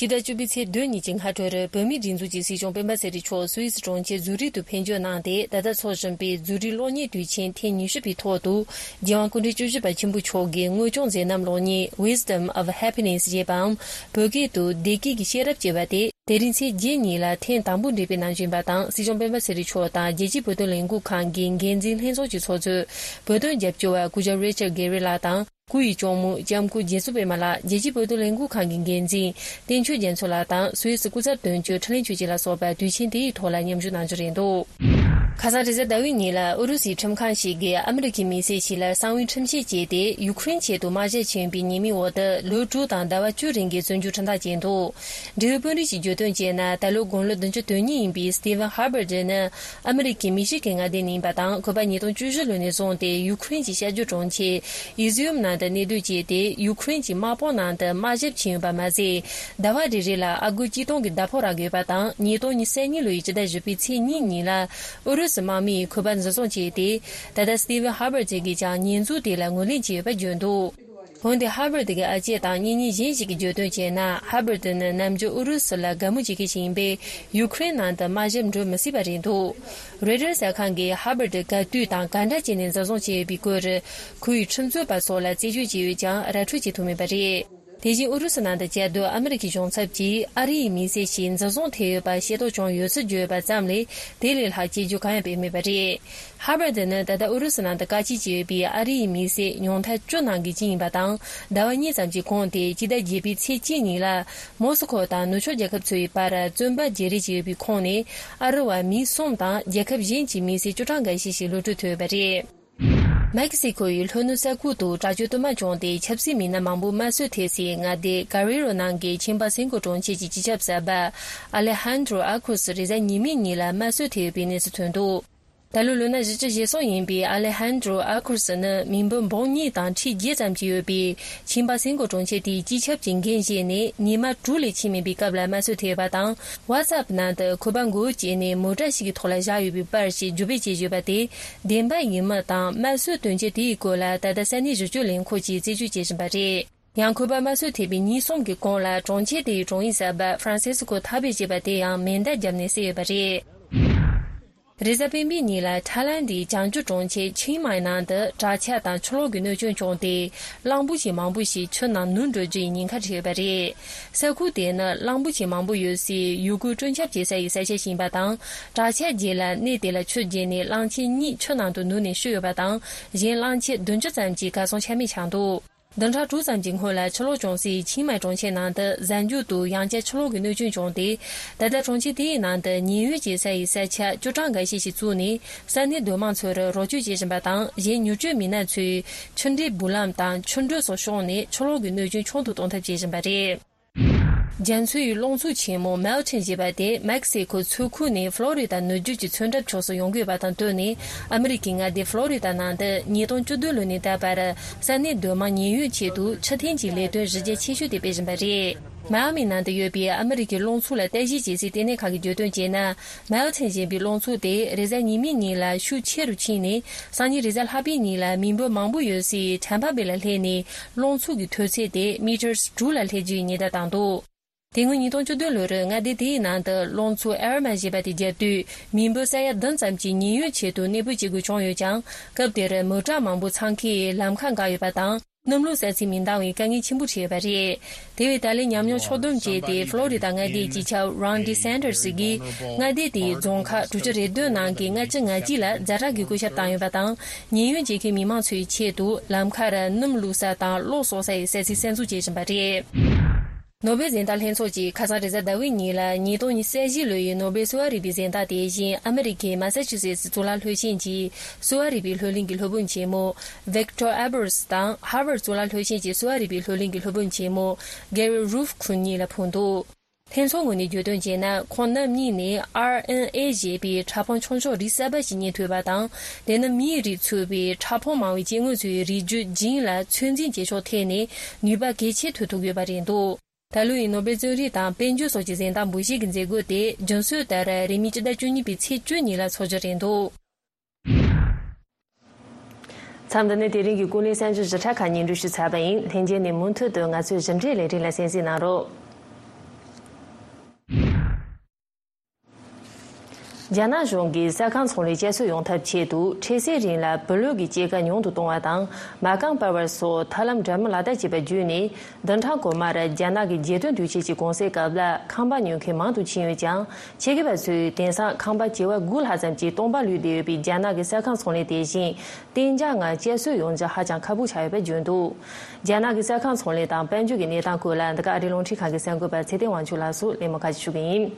སྤྱི་ཟླ་བཅུ་པའི་ཚེས་བདུན་ཉིན་གྱི་སྔ་དྲོར། བོད་མིའི་སྒྲིག་འཛུགས་ཀྱི་སྲིད་སྐྱོང་སྤེན་པ་ཚེ་རིང་མཆོག་སུད་སི་གྲོང་ཁྱེར་ཛུ་རིག་ཏུ་ཕེབས་འབྱོར་གནང་སྟེ། ད་ལྟ་འཚོགས་བཞིན་པའི་ཛུ་རིག་གློག་བརྙན་དུས་ཆེན་ཐེངས་ཉི་ཤུ་པའི་ཐོག་ཏུ། རྒྱལ་དབང་སྐུ་ཕྲེང་བཅུ་བཞི་པ་ཆེན་པོ་མཆོག་གི་དངོས་བྱུང་མཛད་རྣམ་གློག་བརྙན་Wisdom of Happiness ཞེས་པའམ། བོད་སྐད་དུ། བདེ་སྐྱིད་ཀྱི་ཤེས་རབ་ཅེས་པ་དེ། དེ་རིང་ཚེས་བརྒྱད་ཉིན་ལ་ཐེངས་དང་པོ་འགྲེམས་སྤེལ་གནང་བཞིན་པ་དང་། སྲིད་སྐྱོང་སྤེན་པ་ཚེ་རིང་མཆོག་དང་རྒྱལ་སྤྱིའི་བོད་དོན་ལས་འགུལ་ཁང་གི་འགན་འཛིན་ལྷན་ཚོགས་ཀྱི་ཚོགས་གཙོས་བོད་དོན་རྒྱབ་སྐྱོར་བ་སྐུ་ཞབས་Richard Garriott ལགས་དང་། སྐུ་ཡི་གཅུང་མོ་ལྕམ་སྐུ་རྗེ་བཙུན་པད་མ་ལགས། རྒྱལ་སྤྱིའི་བོད་དོན་ལས་འགུལ་ཁང་གི་འགན་འཛིན་བསྟན་ཆོས་རྒྱ་མཚོ་ལགས་དང་། སུད་སི་སྐུ་ཚབ་དོན་གཅོད་ཁྲི་ལན་ཆོས་སྐྱིད་ལ་སོགས་པ་དུས་ཆེན་དེའི་ཐོག་ལ་མཉམ་ཞུགས་གནང་རྒྱུ་རེད་འདུག་ཁ་སང་རེས་གཟའ་ཟླ་བའི་ཉིན་ལ་ཨུ་རུ་སུའི་ཁྲིམས་ཁང་ཞིག་གིས་ཨ་མི་རི་ཀའི་མི་སེར་ཞིག་ལ་གསང་བའི་ཁྲིམས་ཆད་བཅད་དེ། ཡུཀ་རེན་ཆེད་དུ་དམག་ཞབས་ཕྱིན་པའི་ཉེས་མིང་འོག་ཏུ་ལོ་དྲུག་དང་ཟླ་བ་བཅུ་རིང་གི་བཙོན་འཇུག་ཁྲིམས་ཐག་བཅད་འདུག་འབྲེལ་ཡོད་དཔོན་རིགས་ཀྱིས་བརྗོད་དོན་བྱས་ན། ད་ལོ་དགུང་ལོ་བདུན་ཅུ་དོན་གཉིས་ཡིན་པའི་Stephen Herbert ནི་ཨ་མི་རི་ཀའི་མི་ཤི་གན་མངའ་སྡེ་ནས་ཡིན་པ་དང་། ཁོ་པ་ཉིས་སྟོང་བཅུ་བཞི་ལོ་ནས་བཟུང་སྟེ་ཡུཀ་རེན་གྱི་ཤར་རྒྱུད་གྲོང་ཁྱེར་Izium ནང་དུ་གནས་སྡོད་བྱས་ཏེ། ཡུཀ་རེན་གྱི་དམག་དཔུང་ནང་དུ་དམག་ཞབས་ཕྱིན་ཡོད་པ་མ་ཟད། ཟླ་བ་རེ་རེ་ལ་ཨ་སྒོར་གཅིག་སྟོང་གི་ཟླ་ཕོགས་རག་གི་ཡོད་པ་དང་། ཉིས་སྟོང་ཉི་ཤུ་རྩ་གཉིས་ལོའི་སྤྱི་ཟླ་བཞི་པའི་ཚེས་གཉིས་ཉིན་ལ་ཨུ་རུ་སུ་དམག་མིས་ཁོ་པ་འཛིན་བཟུང་བྱས་ཏེ། ད་ལྟ་Stephen Herbert གྱིས་ཀྱང་ཉེས་འཛུགས་དེ་ལ་ངོས་ལེན་བྱས་ཡོད་པ་བརྗོད་འདུག་འོན་ཏེ། Herbert གི་ཨ་ཅེ་དང་གཉེན་ཉེ་གཞན་ཞིག་གིས་བརྗོད་དོན་བྱས་ན། Herbert ནི་ནམ་རྒྱུན་ཨུ་རུ་སུ་ལ་དགའ་མོས་བྱེད་མཁན་ཞིག་ཡིན་པས། ཡུཀ་རེན་ནང་དུ་དམག་ཞབས་འགྲོ་མི་སྲིད་པ་རེད་འདུག Reuters གསར་ཁང་གིས་Herbert ག་དུས་དང་ག་འདྲ་བྱས་ནས་འཛིན་བཟུང་བྱས་ཡོད་པའི་སྐོར། ཁོ་ཡི་ཁྲིམས་རྩོད་པ་སོགས་ལ་རྩད་གཅོད་བྱས་ཡོད་ཀྱང་། ར་འཕྲོད་བྱེད་ཐུབ་མེད་པ་རེད། དེ་བཞིན་ཨུ་རུ་སུ་ནང་དུ་བཅའ་སྡོད་ཨ་མི་རི་ཀའི་གཞུང་ཚབ་ཀྱིས་ཨ་རི་ཡི་མི་སེར་ཞིག་འཛིན་བཟུང་ཐེབས་ཡོད་པ་ཤེས་རྟོགས་བྱུང་ཡོད་ཚུལ་བརྗོད་པ་ཙམ་ལས། དེ་ལས་ལྷག་དཔྱད་བརྗོད་གང་ཡང་སྤེལ་མེད་པ་རེད། Herbert ནི་ད་ལྟ་ཨུ་རུ་སུ་ནང་དུ་བཀག་སྐྱིལ་བྱས་ཡོད་པའི་ཨ་རི་ཡི་མི་སེར་ཉུང་མཐའ་བཅུ་ནང་གི་གཅིག་ཡིན་པ་དང་། ཟླ་བ་གཉིས་ཙམ་གྱི་གོང་དེ་སྤྱི་ཟླ་བརྒྱད་པའི་ཚེས་གཅིག་ཉིན་ལ་མོ་སི་ཁོ་དང་ནུབ་ཕྱོགས་རྒྱལ་ཁབ་ཚོའི་བར་བཙོན་པ་བརྗེ་རེས་བྱས་ཡོད་པའི་ཁོངས་ནས། ཨ་རི་བ་མི་གསུམ་དང་རྒྱལ་ཁབ་གཞན་གྱི་མི་སེར་བཅུ་གྲངས་འགའ་ཤས་ཤིག་གློད་གྲོལ་ཐོབ་ཡོད་པ་རེད། མེག་སི་ཁོ་ཡི་ལྷོ་ནུབ་ས་ཁུལ་དུ་དྲག་སྤྱོད་དུ་མ་བྱུང་སྟེ། ཆབ་སྲིད་མི་སྣ་མང་པོ་དམར་གསོད་ཐེབས་སའི་མངའ་སྡེ་Guerrero ནང་གི་ཆིམ་པ་སེང་གོ་གྲོང་ཁྱེར་གྱི་སྤྱི་ཁྱབ་གསར་པ་Alejandro Acos རེས་གཟའ་ཉི་མའི་ཉིན་ལ་དམར་གསོད་ཐེབས་ཡོད་པའི་གནས་ཚུལ་ཐོན་འདུག་ད་ལོ་ལོ་ན་བཞི་བཅུ་ཞེ་གསུམ་ཡིན་པའི་Alejandro Acos ནི་མི་འབོར་འབུམ་གཉིས་དང་ཁྲི་བརྒྱད་ཙམ་ཞིག་ཡོད་པའི་ཆིམ་པ་སེང་གོ་གྲོང་ཁྱེར་དེའི་སྤྱི་ཁྱབ་ཀྱི་འགན་བཞེས་ནས་ཉི་མ་དྲུག་ལས་ཕྱིན་མེད་པའི་སྐབས་ལ་དམར་གསོད་ཐེབས་པ་དང་། WhatsApp ནང་དུ་ཁོ་པ་མགོ་བོ་བཅད་ནས་མོ་ཊ་ཞིག་གི་ཐོག་ལ་བཞག་ཡོད་པའི་པར་ཞིག་བརྒྱུད་སྤེལ་བྱས་ཡོད་པ་དེ་བདེན་པ་ཡིན་མིན་དང་། དམར་གསོད་དོན་རྐྱེན་དེའི་སྐོར་ལ་ད་ལྟ་ས་གནས་ཞིབ་དཔྱོད་ལས་ཁུངས་ཀྱིས་རྩད་གཅོད་བྱེད་བཞིན་པ་རེད། ཡང་ཁོས་པར་དམར་གསོད་ཐེབས་པའི་ཉིན་གསུམ་གྱི་གོང་ལ་གྲོང་ཁྱེར་དེའི་གྲོང་ཡིག་གསར་པ་ཧྥ་རན་སིས་ཀོ་ཐ་བེ་ཞེས་པ་དེ་ཡང་མེ་མདའ་བརྒྱབ་ནས་བསད་ཡོད་པ་རེད། རེས་གཟའ་སྤེན་པའི་ཉིན་ལ་ཐའི་ལན་དེའི་བྱང་ཕྱོགས་གྲོང་ཁྱེར་ཆིང་མའི་ནང་དུ་དྲག་ཆར་དང་ཆུ་ལོག་གི་གནོད་སྐྱོན་བྱུང་སྟེ། གླང་པོ་ཆེ་མང་པོ་ཞིག་ཆུ་ནང་ནུབ་འགྲོ་རྒྱུའི་ཉེན་ཁ་འཕྲད་ཡོད་པ་རེད། ས་ཁུལ་དེ་ནི་གླང་པོ་ཆེ་མང་པོ་ཡོད་སའི་ཡུལ་སྐོར་སྤྲོ་འཆམ་བྱེད་ས་ཡི་ས་ཆ་ཞིག་ཡིན་པ་དང་། དྲག་ཆར་རྗེས་ལ་གནས་དེ་ལ་ཆུ་རྒྱས་ནས་གླང་ཆེན་གཉིས་ཆུ་ནང་དུ་ནུབ་ནས་ཤི་ཡོད་པ་དང་། གཞན་གླང་ཆེན་བདུན་ཅུ་ཙམ་གྱིས་གར་སོང་ཆ་མེད་ཆགས་འདུག་བདུན་ཕྲག་དྲུག་ཙམ་གྱི་སྔོན་ལ་ཆུ་ལོག་བྱུང་སའི་ཆིང་མའི་གྲོང་ཁྱེར་ནང་དུ་གཟའ་མཇུག་ཏུ་ཡང་བསྐྱར་ཆུ་ལོག་གི་གནོད་སྐྱོན་བྱུང་སྟེ། ད་ལྟ་གྲོང་ཁྱེར་དེའི་ནང་དུ་ཉེན་གཡོལ་བྱེད་ས་ཡི་ས་ཆ་བཅུ་གྲངས་འགའ་ཤས་ཤིག་བཙུགས་ནས། ས་གནས་སྡོད་དམངས་ཚོར་རོགས་སྐྱོར་བྱེད་བཞིན་པ་དང་། གཞན་མྱུར་སྐྱོབ་མི་སྣ་ཚོས་ཆུ་འདྲེན་འབུད་ལམ་དང་ཆུ་འགྲུལ་སོགས་ཕྱོགས་ནས་ཆུ་ལོག་གི་གནོད་སྐྱོན་ཆུང་དུ་གཏོང་ཐབས་བྱེད་བཞིན་པ་རེད། རྒྱ་མཚོའི་རླུང་འཚུབ་ཆེན་མོ་མེལ་ཊོན་ཞེས་པ་དེ་མེག་སི་ཀོ་མཚོ་ཁུལ་ནས་ཕློ་རི་ད་ནུབ་རྒྱུད་ཀྱི་མཚོ་འགྲམ་ཕྱོགས་སུ་ཡོང་གི་ཡོད་པ་དང་བསྟུན་ནས། ཨ་མི་རི་ཀའི་མངའ་སྡེ་ཕློ་རི་ད་ནང་དུ་ཉིས་སྟོང་བཅུ་བདུན་ལོ་ནས་ད་བར་ས་གནས་སྡོད་དམངས་ཉེན་གཡོལ་ཆེད་དུ་ཕྱིར་འཐེན་གྱི་ལས་དོན་གཞི་རྒྱ་ཆེ་ཤོས་དེ་སྤེལ་བཞིན་པ་རེད། མའི་ཨ་མི་ནང་དུ་ཡོད་པའི་ཨ་མི་རི་ཀའི་རླུང་འཚུབ་ལ་ལྟ་ཞིབ་བྱེད་སའི་ལྟེ་གནས་ཁང་གིས་བརྗོད་དོན་བྱས་ན། མེལ་ཊོན་ཞེས་པའི་རླུང་འཚུབ་དེ་རེས་གཟའ་ཉི་མའི་ཉིན་ལ་ཤུགས་ཆེ་རུ་ཕྱིན་ནས། སང་ཉིན་རེས་གཟའ་ལྷག་པའི་ཉིན་ལ་མི་འབོར་མང་པོ་ཡོད་སའི་ཁྲན་པ་བེ་ལ་སླེབས་ནས། རླུང་འཚུབ་ཀྱི་མཐོ་ཚད་དེ་མི་ཊར་དྲུག་ལ་སླེབས་རྒྱུའི་ཉེན་བརྡ་བཏང་འདུག་དེ་སྔོན་ཉིས་སྟོང་བཅུ་བདུན་ལོར་མངའ་སྡེ་དེའི་ནང་དུ་རླུང་འཚུབ་ཨེར་མ་ཞེས་པ་དེ་བརྒྱབ་དུས། མི་འབོར་ས་ཡ་བདུན་ཙམ་གྱིས་ཉེན་གཡོལ་ཆེད་དུ་གནས་སྤོས་བྱེད་དགོས་བྱུང་ཡོད་ཀྱང་། སྐབས་དེར་མོ་ཊ་མང་པོ་འཚང་ཁའི་ལམ་ཁ་འགག་ཡོད་པ་དང་། གནམ་ལོ་གསར་ཚེས་མི་འདང་བའི་དཀའ་ངལ་ཆེན་པོ་འཕྲད་ཡོད་པ་རེད། དེ་བས་ད་ལན་ཉམས་མྱོང་ཕྱོགས་བསྡོམས་བྱས་ཏེ། ཕློ་རི་ད་མངའ་སྡེའི་སྤྱི་ཁྱབ་རོན་ཌི་སན་ཊར་སི་གིས། མངའ་སྡེ་དེའི་རྫོང་ཁག་དྲུག་ཅུ་རེ་བདུན་ནང་གི་ལྔ་བཅུ་ང་གཅིག་ལ་ཛ་དྲག་གི་བཀོད་ཁྱབ་བཏང་ཡོད་པ་དང་། ཉེན་གཡོལ་བྱེད་མཁན་མི་མང་ཚོའི་ཆེད་དུ་ལམ་ཁར་སྣུམ་བླུགས་ས་དང་གློག་གསོག་ས་ཡི་ས་ཚིགས་གསར་འཛུགས་བྱེད་བཞིན་པ་རེད། ནོ་སྦེལ་གཟེངས་རྟགས་ལྷན་ཚོགས་ཀྱིས་ཁ་སང་རེས་གཟའ་ཟླ་བའི་ཉིན་ལ། ཉིས་སྟོང་ཉི་ཤུ་རྩ་བཞི་ལོའི་ནོ་སྦེལ་གསོ་བ་རིག་པའི་གཟེངས་རྟགས་དེ་བཞིན། ཨ་མི་རི་ཀའི་མ་ས་ཆུ་སེ་ཊི་གཙུག་ལག་སློབ་ཆེན་གྱི་གསོ་བ་རིག་པའི་སློབ་གླིང་གི་སློབ་དཔོན་ཆེན་མོ་ཝིག་ཊོར་ཨེ་བར་སི་དང་། ཧར་ཝརཌ་གཙུག་ལག་སློབ་ཆེན་གྱི་གསོ་བ་རིག་པའི་སློབ་གླིང་གི་སློབ་དཔོན་ཆེན་མོ་གེ་རི་རུབ་ཁུན་གཉིས་ལ་ཕུལ་འདུག་ལྷན་ཚོགས་ངོས་ནས་བརྗོད་དོན་བྱས་ན། ཁོང་རྣམ་གཉིས་ནས་ཨར་ཨེན་ཨེ་ཞེས་པའི་ཕྲ་ཕུང་ཆུང་ཆུང་རིགས་གསར་པ་ཞིག་རྙེད་ཐུབ་པ་དང་། དེ་ནི་མིའི་རིགས་ཚུད་པའི་ཕྲ་ཕུང་མང་བའི་སྐྱེ་དངོས་ཚོའི་རིགས་རྒྱུད་ཇིན་ལ་ཚོད་འཛིན་བྱེད་ཕྱོགས་ཐད་ནས་ནུས་པ་གལ་ཆེ་ཐོན་ཐུབ་ཡོད་པ་རེད་འདུག་ད་ལོའི་ནོ་སྦེལ་རྩོམ་རིག་དང་དཔལ་འབྱོར་སོགས་ཀྱི་གཟེངས་རྟགས་འབུལ་བཞེས་ཀྱི་མཛད་སྒོ་དེ་རྒྱུན་སྲོལ་ལྟར་རིང་མིན་སྤྱི་ཟླ་བཅུ་གཉིས་པའི་ཚེས་བཅུ་ཉིན་ལ་འཚོགས་རྒྱུ་རེད་འདུག་མཚམས་འདི་ནས་དེ་རིང་གི་ཀུན་གླེང་གསར་འགྱུར་ཞིབ་ཕྲ་ཁག་སྙན་སྒྲོན་ཞུས་ཚར་བ་ཡིན། ལྷན་རྒྱས་ནས་མུ་མཐུད་དུ་ང་ཚོའི་ཞིབ་ཕྲའི་ལས་རིམ་ལ་གསན་གཟིགས་གནང་རོགས། རྒྱ་ནག་གཞུང་གིས་ས་ཁང་ཚོང་ལས་བསྐྱར་གསོ་ཡོང་ཐབས་ཆེད་དུ། འཕྲལ་སེལ་རིང་ལ་བུ་ལོན་གྱི་སྐྱེད་ཀ་ཉུང་དུ་གཏོང་བ་དང་། མ་རྐང་སྤར་བ་སོགས་ཐབས་ལམ་འདྲ་མིན་ལག་བསྟར་བྱས་པ་བརྒྱུད་ནས། བདུན་ཕྲག་གོང་མར་རྒྱ་ནག་གི་རྒྱལ་དོན་དུས་ཆེན་གྱི་གུང་སེང་སྐབས་ལ་ཁང་པ་ཉོ་མཁན་མང་དུ་ཕྱིན་ཡོད་ཀྱང་། ཆེད་མཁས་པ་ཚོས་དེང་སང་ཁང་པ་བྱེ་བ་དགུ་ལྷག་ཙམ་གྱིས་སྟོང་པ་ལུས་བསྡད་ཡོད་པའི་རྒྱ་ནག་གི་ས་ཁང་ཚོང་ལས་དེ་བཞིན། གཏན་འཇགས་ངང་བསྐྱར་གསོ་ཡོང་རྒྱུ་ཧ་ཅང་ཁག་པོ་ཆགས་ཡོད་པ་བརྗོད་འདུག་རྒྱ་ནག་གི་ས་ཁང་ཚོང་ལས་དང་དཔལ་འབྱོར་གྱི་གནས་སྟངས་སྐོར་ལ། འདི་ག་ཨ་རིའི་རླུང་འཕྲིན་ཁང་གི་གསར་འགོད་པ་ཚེ་བརྟན་དབང་ཕྱུག་ལགས་སུ་གླེང་མོལ་ཁག་ཅིག་ཞུ་གི་ཡིན།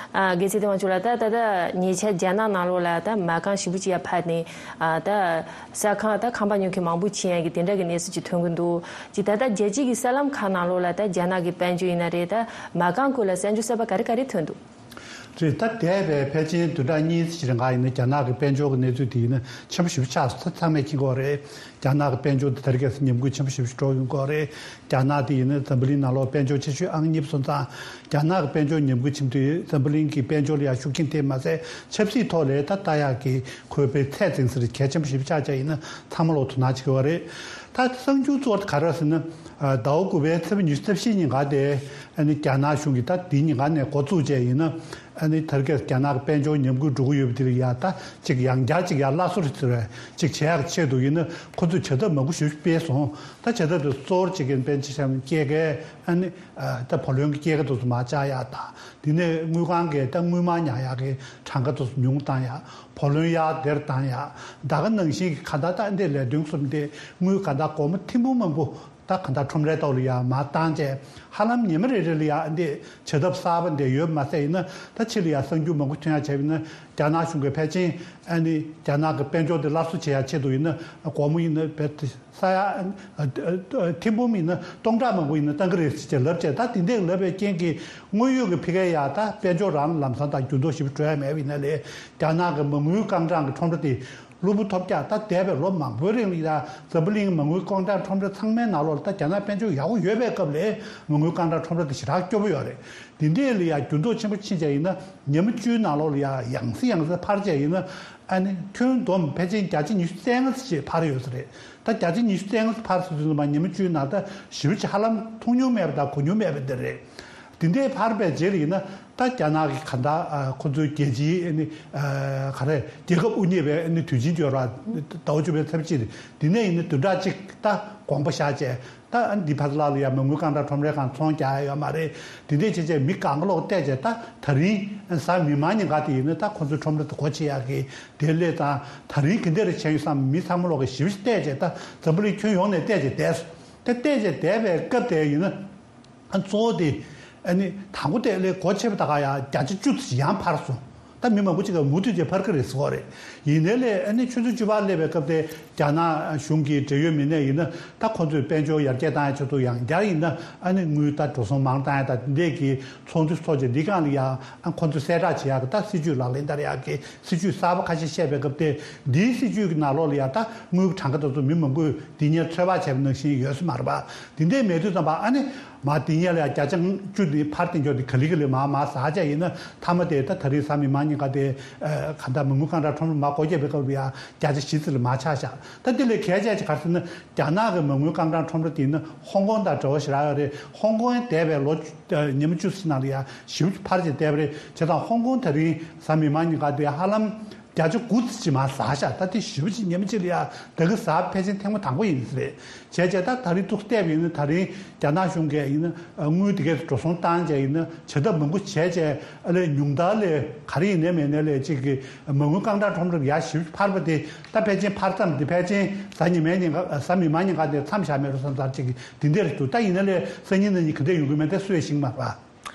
ཨ། དགེ་ཚེ་བརྟན་དབང་ཕྱུག་ལགས། ད་ད་ལྟ་ཉེ་ཆར་རྒྱ་ནག་ནང་ལོགས་ལ་ད་མ་རྐང་ཞེ་པོ་ཅིག་ཡར་འཕར་ནས། ཨ། ད་ས་ཁང་ད་ཁང་པ་ཉོ་མཁན་མང་པོ་ཕྱིན་ཡག་གི་དེ་འདྲ་གི་གནས་ཚུལ་ཅིག་ཐོན་གྱི་འདུག་ཅིག་ད་ལྟ་རྒྱལ་སྤྱི་གི་གསར་ལམ་ཁག་ནང་ལོགས་ལ་ད་རྒྱ་ནག་གི་དཔལ་འབྱོར་ཡིན་ན་རེད། ད་མ་རྐང་སྐོར་ལ་གསར་འགྱུར་གསར་པ་ག་རེ་ག་རེ་ཐོན་འདུག་རེད། ད་འདས་པའི་ཕལ་ཆེར་བདུན་ཕྲག་གཉིས་ཙམ་རིང་ག་ཡིན་ན། རྒྱ་ནག་གི་དཔལ་འབྱོར་གྱི་གནས་ཚུལ་དེ་ཡིན་ན་ཆེན་པོ་ཞེ་པོ་ཆགས་སོང་། ད་ཚང་མས་མཁྱེན་གྱི་ཡོད་རེད། རྒྱ་ནག་གི་དཔལ་འབྱོར་དེ་དེ་རིང་ཁ་སང་ཉམས་རྒུད་ཆེན་པོ་ཞེ་པོ་ཞིག་འགྲོ་ཡོང་གི་ཡོད་རེད། རྒྱ་ནག་དེ་ཡིན་ན་འཛམ་བུ་གླིང་ནང་ལོགས་དཔལ་འབྱོར་ཆེ་ཤོས་ཨང་གཉིས་པ་སོང་ཙང་། རྒྱ་ནག་གི་དཔལ་འབྱོར་ཉམས་རྒུད་ཕྱིན་དུས་འཛམ་བུ་གླིང་གི་དཔལ་འབྱོར་ལ་ཡང་ཤུགས་རྐྱེན་དེ་མ་ཟད་ཆབ་སྲིད་ཐོག་ལ་ད་ལྟ་ཡག་གི་ཁོའི་དཔེ་ཚད་འཛིན་ས་རེད། གལ་ཆེན་པོ་ཞེ་པོ་ཆགས་བྱས་ཡིན་ན་ཚང་མ་ལོག་དོ་སྣང་བྱེད་ཀྱི་ཡོད་རེད། ད་གསར་འགྱུར་གཙོ་བོ་ག་རེ་ཟེར་ན། ཟླ་བ་དགུ་པའི་ཚེས་པ་ཉི་ཤུ་རྩ་བཞི་ཉིན་ག་དེ། ཨ་ནི་རྒྱ་ནག་གཞུང་གིས་ད་དེའི་ཉིན་ག་ནས་འགོ་བཙུགས་བྱས་ཡིན་ན། ཨ་ནི་དེ་རིང་ཁ་སང་རྒྱ་ནག་གི་དཔལ་འབྱོར་ཉམས་རྒུད་འགྲོ་གི་ཡོད་པ་དེ་ལ་ཡ། ད་ཅིག་ཡང་བསྐྱར་ཅིག་ཡར་སླར་གསོ་རེ་ཟེར་བ་ཅིག་བྱེད་ཡག་ཆེད་དུ་ཡིན་ན། ཁོ་ཚོས་བྱ་ཐབས་མང་པོ་ཞེ་པོ་ཅིག་སྤེལ་སོང་། ད་བྱ་ཐབས་དེ་གཙོ་བོར་བྱེད་མཁན་དཔེར་ན་ཆ་བཞག་ན་སྐྱེད་ཀའི། ཨ་ནི་ད་བུ་ལོན་གྱི་སྐྱེད་ཀ་དེ་ཚོ་མར་བཅག་ཡག་དང་། དེ་ནས་དངུལ་ཁང་གི་ད་དངུལ་སྨར་ཉར་ཡག་གི་གྲངས་ཀ་དེ་ཚོ་ཉུང་བཏང་ཡག་བུ་ལོན་ཡར་སྡེར་བཏང་ཡག་ད་ག་ནང་བཞིན་གྱི་གང་ལྟར་ད་འདི་ལས་དོན་གསུམ་དེ་དངུལ་གང་ལྟར་སྒོར་མོ་ཐེར་འབུམ་མང་པོ། ད་གང་ལྟར་ཁྲོམ་རའི་ཐོག་ལ་ཡར་མར་བཏང་བྱས། ཧ་ལམ་ཉི་མ་རེ་རེ་ལ་ཡར་འདི་བྱ་ཐབས་གསར་པ་འདི་ཡོད་མ་ཟད། ཡིན་ན་ད་ཕྱི་ལ་ཡར་གསར་འགྱུར་མང་པོ་ཐོན་ཡག་བྱས་པ་ཡིན་ན། རྒྱ་ནག་གཞུང་གིས་ཕལ་ཆེར་ཨ་ནི་རྒྱ་ནག་གི་དཔལ་འབྱོར་འདི་སླར་གསོ་བྱེད་ཡག་ཆེད་དུ་ཡིན་ན། སྒོར་མོ་ཡིན་ན་བེད་ས་ཡ་ཐེར་འབུམ་ཡིན་ན་སྟོང་ཕྲག་མང་པོ་ཡིན་ན་བཏང་གི་རེད་ཟེར་བྱས་ལབ་བྱས། ད་དེ་འདྲས་ལབ་པའི་རྐྱེན་གྱིས་དངོས་ཡོད་ཀྱི་ཕ་གིར་ཡ་ད་དཔལ་འབྱོར་རང་ལམ་སང་ད་འགྱུར་ལྡོག་ཞེ་པོ་འགྲོ་ཡ་མེད་པ་ཡིན་ན་ལས། རྒྱ་ནག་གི་མ་དངུལ་རྐང་གྲངས་ཀྱི་ཁྲོམ་ར་དེ། གློ་བུར་ཐོལ་རྒྱག་ད་འདས་པའི་ལོ་མང་པོའི་རིང་ལ་ཡ་འཛམ་བུ་གླིང་མ་དངུལ་རྐང་གྲངས་ཁྲོམ་ར་ཚང་མའི་ནང་ལོགས་ལ་ད་རྒྱ་ནག་དཔལ་འབྱོར་ཡག་པོ་ཡོད་པའི་སྐབས་ལ་མ་དངུལ་རྐང་གྲངས་ཁྲོམ་ར་དེ་ཞེ་དྲག་སྐྱོ་པོ་ཡོད་རེད། དེ་འདྲས་ལ་ཡ་འགྱུར་ལྡོག་ཆེན་པོ་ཕྱིན་བྱས་ཡིན་ན་ཉི་མ་བཅུའི་ནང་ལོགས་ལ་ཡ་ཡང་སེ་ཡང་སེ་འཕར་བྱས་ཡིན་ན་ཨ་ནི་ཁྱོན་བསྡོམས་ཕལ་ཆེར་བརྒྱ་ཆ་ཉི་ཤུ་རྩ་ལྔ་ཙམ་ཞིག་འཕར་ཡོད་ས་རེད། ད་བརྒྱ་ཆ་ཉི་ཤུ་རྩ་ལྔ་ཙམ་འཕར་སོང་དུས་ཙམ་པ་ཉི་མ་བཅུའི་ནང་ད་ཞེ་པོ་ཅིག་ཧ་ལམ་མཐོང་མྱོང་མེད་པ་དང་གོ་མྱོང་མེད་པ་དེ་རེད། དེ་འདྲའི་འཕར་བའི་རྗེས་ལ་ཡིན་ན་ད་རྒྱ་ནག་གི་ག་ད་ཁོ་ཚོའི་རྒྱལ་སྤྱིའི་ཨ་ནི་ག་རེ་རྒྱལ་ཁབ་དབུ་བརྙེས་པའི་ཨ་ནི་དུས་ཆེན་བརྗོད་ར་ཟླ་བ་བཅུ་པའི་ཚེས་གཅིག་དེ་ནས་ཡིན་ན་བདུན་ཕྲག་གཅིག་ད་དགོངས་པ་བཞག་བྱས་ད་ཨ་ནི་འདི་ཕར་ལ་ལ་ཡ་མ་དངུལ་རྐང་གྲངས་ཁྲོམ་རའི་སྒང་ཚོང་རྒྱག་ཡ་ཡོད་མ་རེད། དེ་འདྲའི་བྱས་བྱས་མི་གང་ག་ལོག་བལྟས་བྱས་ད་ད་རིང་གཟའ་མིག་དམར་ཉིན་ག་དེ་ཡིན་ན་ད་ཁོ་ཚོའི་ཁྲོམ་ར་དེ་སྒོ་ཕྱེ་ཡག་གི་དེ་སླེབས་ཙང་ད་རིང་ག་འདྲ་རེ་བྱས་ཡོད་བསམ་མི་ཚང་མ་ལོག་གི་ཞིབ་ཞིབ་བལྟས་བྱས་ད་འཛམ་བུ་གླིང་ཁྱོན་ཡོངས་ནས་བལྟས་བྱས་བསྡད་སོང་། ད་བལྟས་བྱས་བསྡད་པའི་སྐབས་དེ་ཡིན་ན། ཨ་གཙོ་བོ་དེ། ཨ་ནི་དང་པོ་དེ་ལས་སྒོ་ཕྱེ་བ་ད་ག་ཡང་བརྒྱ་ཆ་བཅུ་ཙམ་ཡང་འཕར་སོང་། ད་མི་མང་པོ་ཅིག་ག་མུ་མཐུད་དེ་འཕར་གི་རེད་ཟེར་གོ་རེད། ཡིན་ནའི་ལས་ཨ་ནི་ཆུ་ཚོད་བཅུ་པར་སླེབས་པའི་སྐབས་དེ་རྒྱ་ནག་གཞུང་གི་འབྲེལ་ཡོད་མི་སྣས་ཡིན་ན་ད་ཁོ་ཚོས་དཔལ་འབྱོར་ཡར་རྒྱས་བཏང་ཡ་ཆེད་དུ་ཡང་བསྐྱར་ཡིན་ན་ཨ་ནི་དངུལ་ད་འགྲོ་སོང་མང་བཏང་ཡ་ད་འདི་འདྲས་ཀྱི་ཚོགས་འདུ་ཚོགས་བྱས་འདི་སྒང་ལ་ཡང་ཨ་ཁོ་ཚོས་གསལ་བསྒྲགས་བྱེད་ཡག་གི་ད་སྲིད་ཇུས་ལག་ལེན་བསྟར་ཡག་གི་སྲིད་ཇུས་གསར་པ་ཁ་ཤས་བཤད་པའི་སྐབས་དེ་འདིའི་སྲིད་ཇུས་ཀྱི་ནང་ལོགས་ལ་ཡང་ད་དངུལ་གྱི་གྲངས་ཀ་དེ་ཚོ་མི་མང་པོས་འདི་སྔོན་ཚོད་དཔག་བྱས་པ་ནང་བཞིན་ཡོད་ས་མ་རེད་པ། འདི་འདྲས་མེད་དུས་ཙམ་པ་ཨ་ནི། མ་དེ་ཉལ་ཡ་བརྒྱ་ཆ་བཅུ་དེ་ཕར་དེ་འཇོག་དེ་ག་ལི་ག་ལི་མ་མ་ཟ་བྱ་ཡིན་ན་མཐའ་མ་དེ་ད་ད་རེས་གཟའ་མིག་དམར་ཉིན་ཀ་དེ་ག་ད་མ་དངུལ་རྐང་གྲངས་ཁྲོམ་ར་མ་སྒོ་བརྒྱབ་པའི་སྐབས་ལ་ཡ་བརྒྱ་ཆ་བཞི་ཙམ་ལ་མ་ཆག་བཞག་ད་དེ་ལས་གལ་ཆེ་ཆེ་ག་རེ་ཟེར་ན་རྒྱ་ནག་གི་མ་དངུལ་རྐང་གྲངས་ཁྲོམ་ར་དེ་ཡིན་ན་ཧོང་ཀོང་དང་འདྲ་བོ་ཞེ་དྲག་ཡོད་རེད། ཧོང་ཀོང་འདས་པའི་ལོ་ཉི་མ་བཅུ་ཙམ་ནང་ལ་ཡ་ཞེ་པོ་འཕར་ཅིག་བསྡད་པ་རེད། བྱས་ཙང་ཧོང་ཀོང་ད་རིང་གཟའ་མིག་དམར་ཉིན་ཀ་དེ་ཧ་ལམ། བརྒྱ་ཆ་དགུ་ཙམ་ཅིག་མར་ཟག་ཤག་ད་དེ་ཞེ་པོ་ཅིག་ཉི་མ་གཅིག་ལ་ཡ་ད་གི་ཟག་ཕལ་ཆེར་ཐེངས་མ་དང་པོ་ཡིན་ས་རེད། བྱས་བྱས་ད་ད་རེས་ཏོག་བལྟས་པ་ཡིན་ན་ད་རིང་རྒྱ་ནག་གཞུང་གིས་ཡིན་ན་དངུལ་དེ་གས་འགྲོ་སོང་བཏང་བྱས་ཡིན་ན་བྱ་ཐབས་མང་པོ་བྱས་བྱས་ཨ་ལས་ཉུང་མཐར་ལས་ག་རེ་ཡིན་ནའི་མེད་ནའི་ལས་གཅིག་གི་མ་དངུལ་རྐང་གྲངས་ཁྲོམ་ར་ཡ་ཞེ་པོ་འཕར་བ་དེ་ད་ཕལ་ཆེར་འཕར་མཚམས་དེ་ཕལ་ཆེར་གཟའ་ཉི་མའི་ཉིན་ཀ་གཟའ་མིག་དམར་ཉིན་ཀ་དེ་མཚམས་བཞག་མེད་རུང་བསམ་ཚར་གཅིག་གི་དེ་འདྲ་རེད་འདུག་ད་ཡིན་ན་ལས་སང་ཉིན་གནངས་ཉིན་ག་འདྲ་ཡོང་གི་མེད་དེ་སུས་ཤེས་ཀྱི་མ་རེད་པ།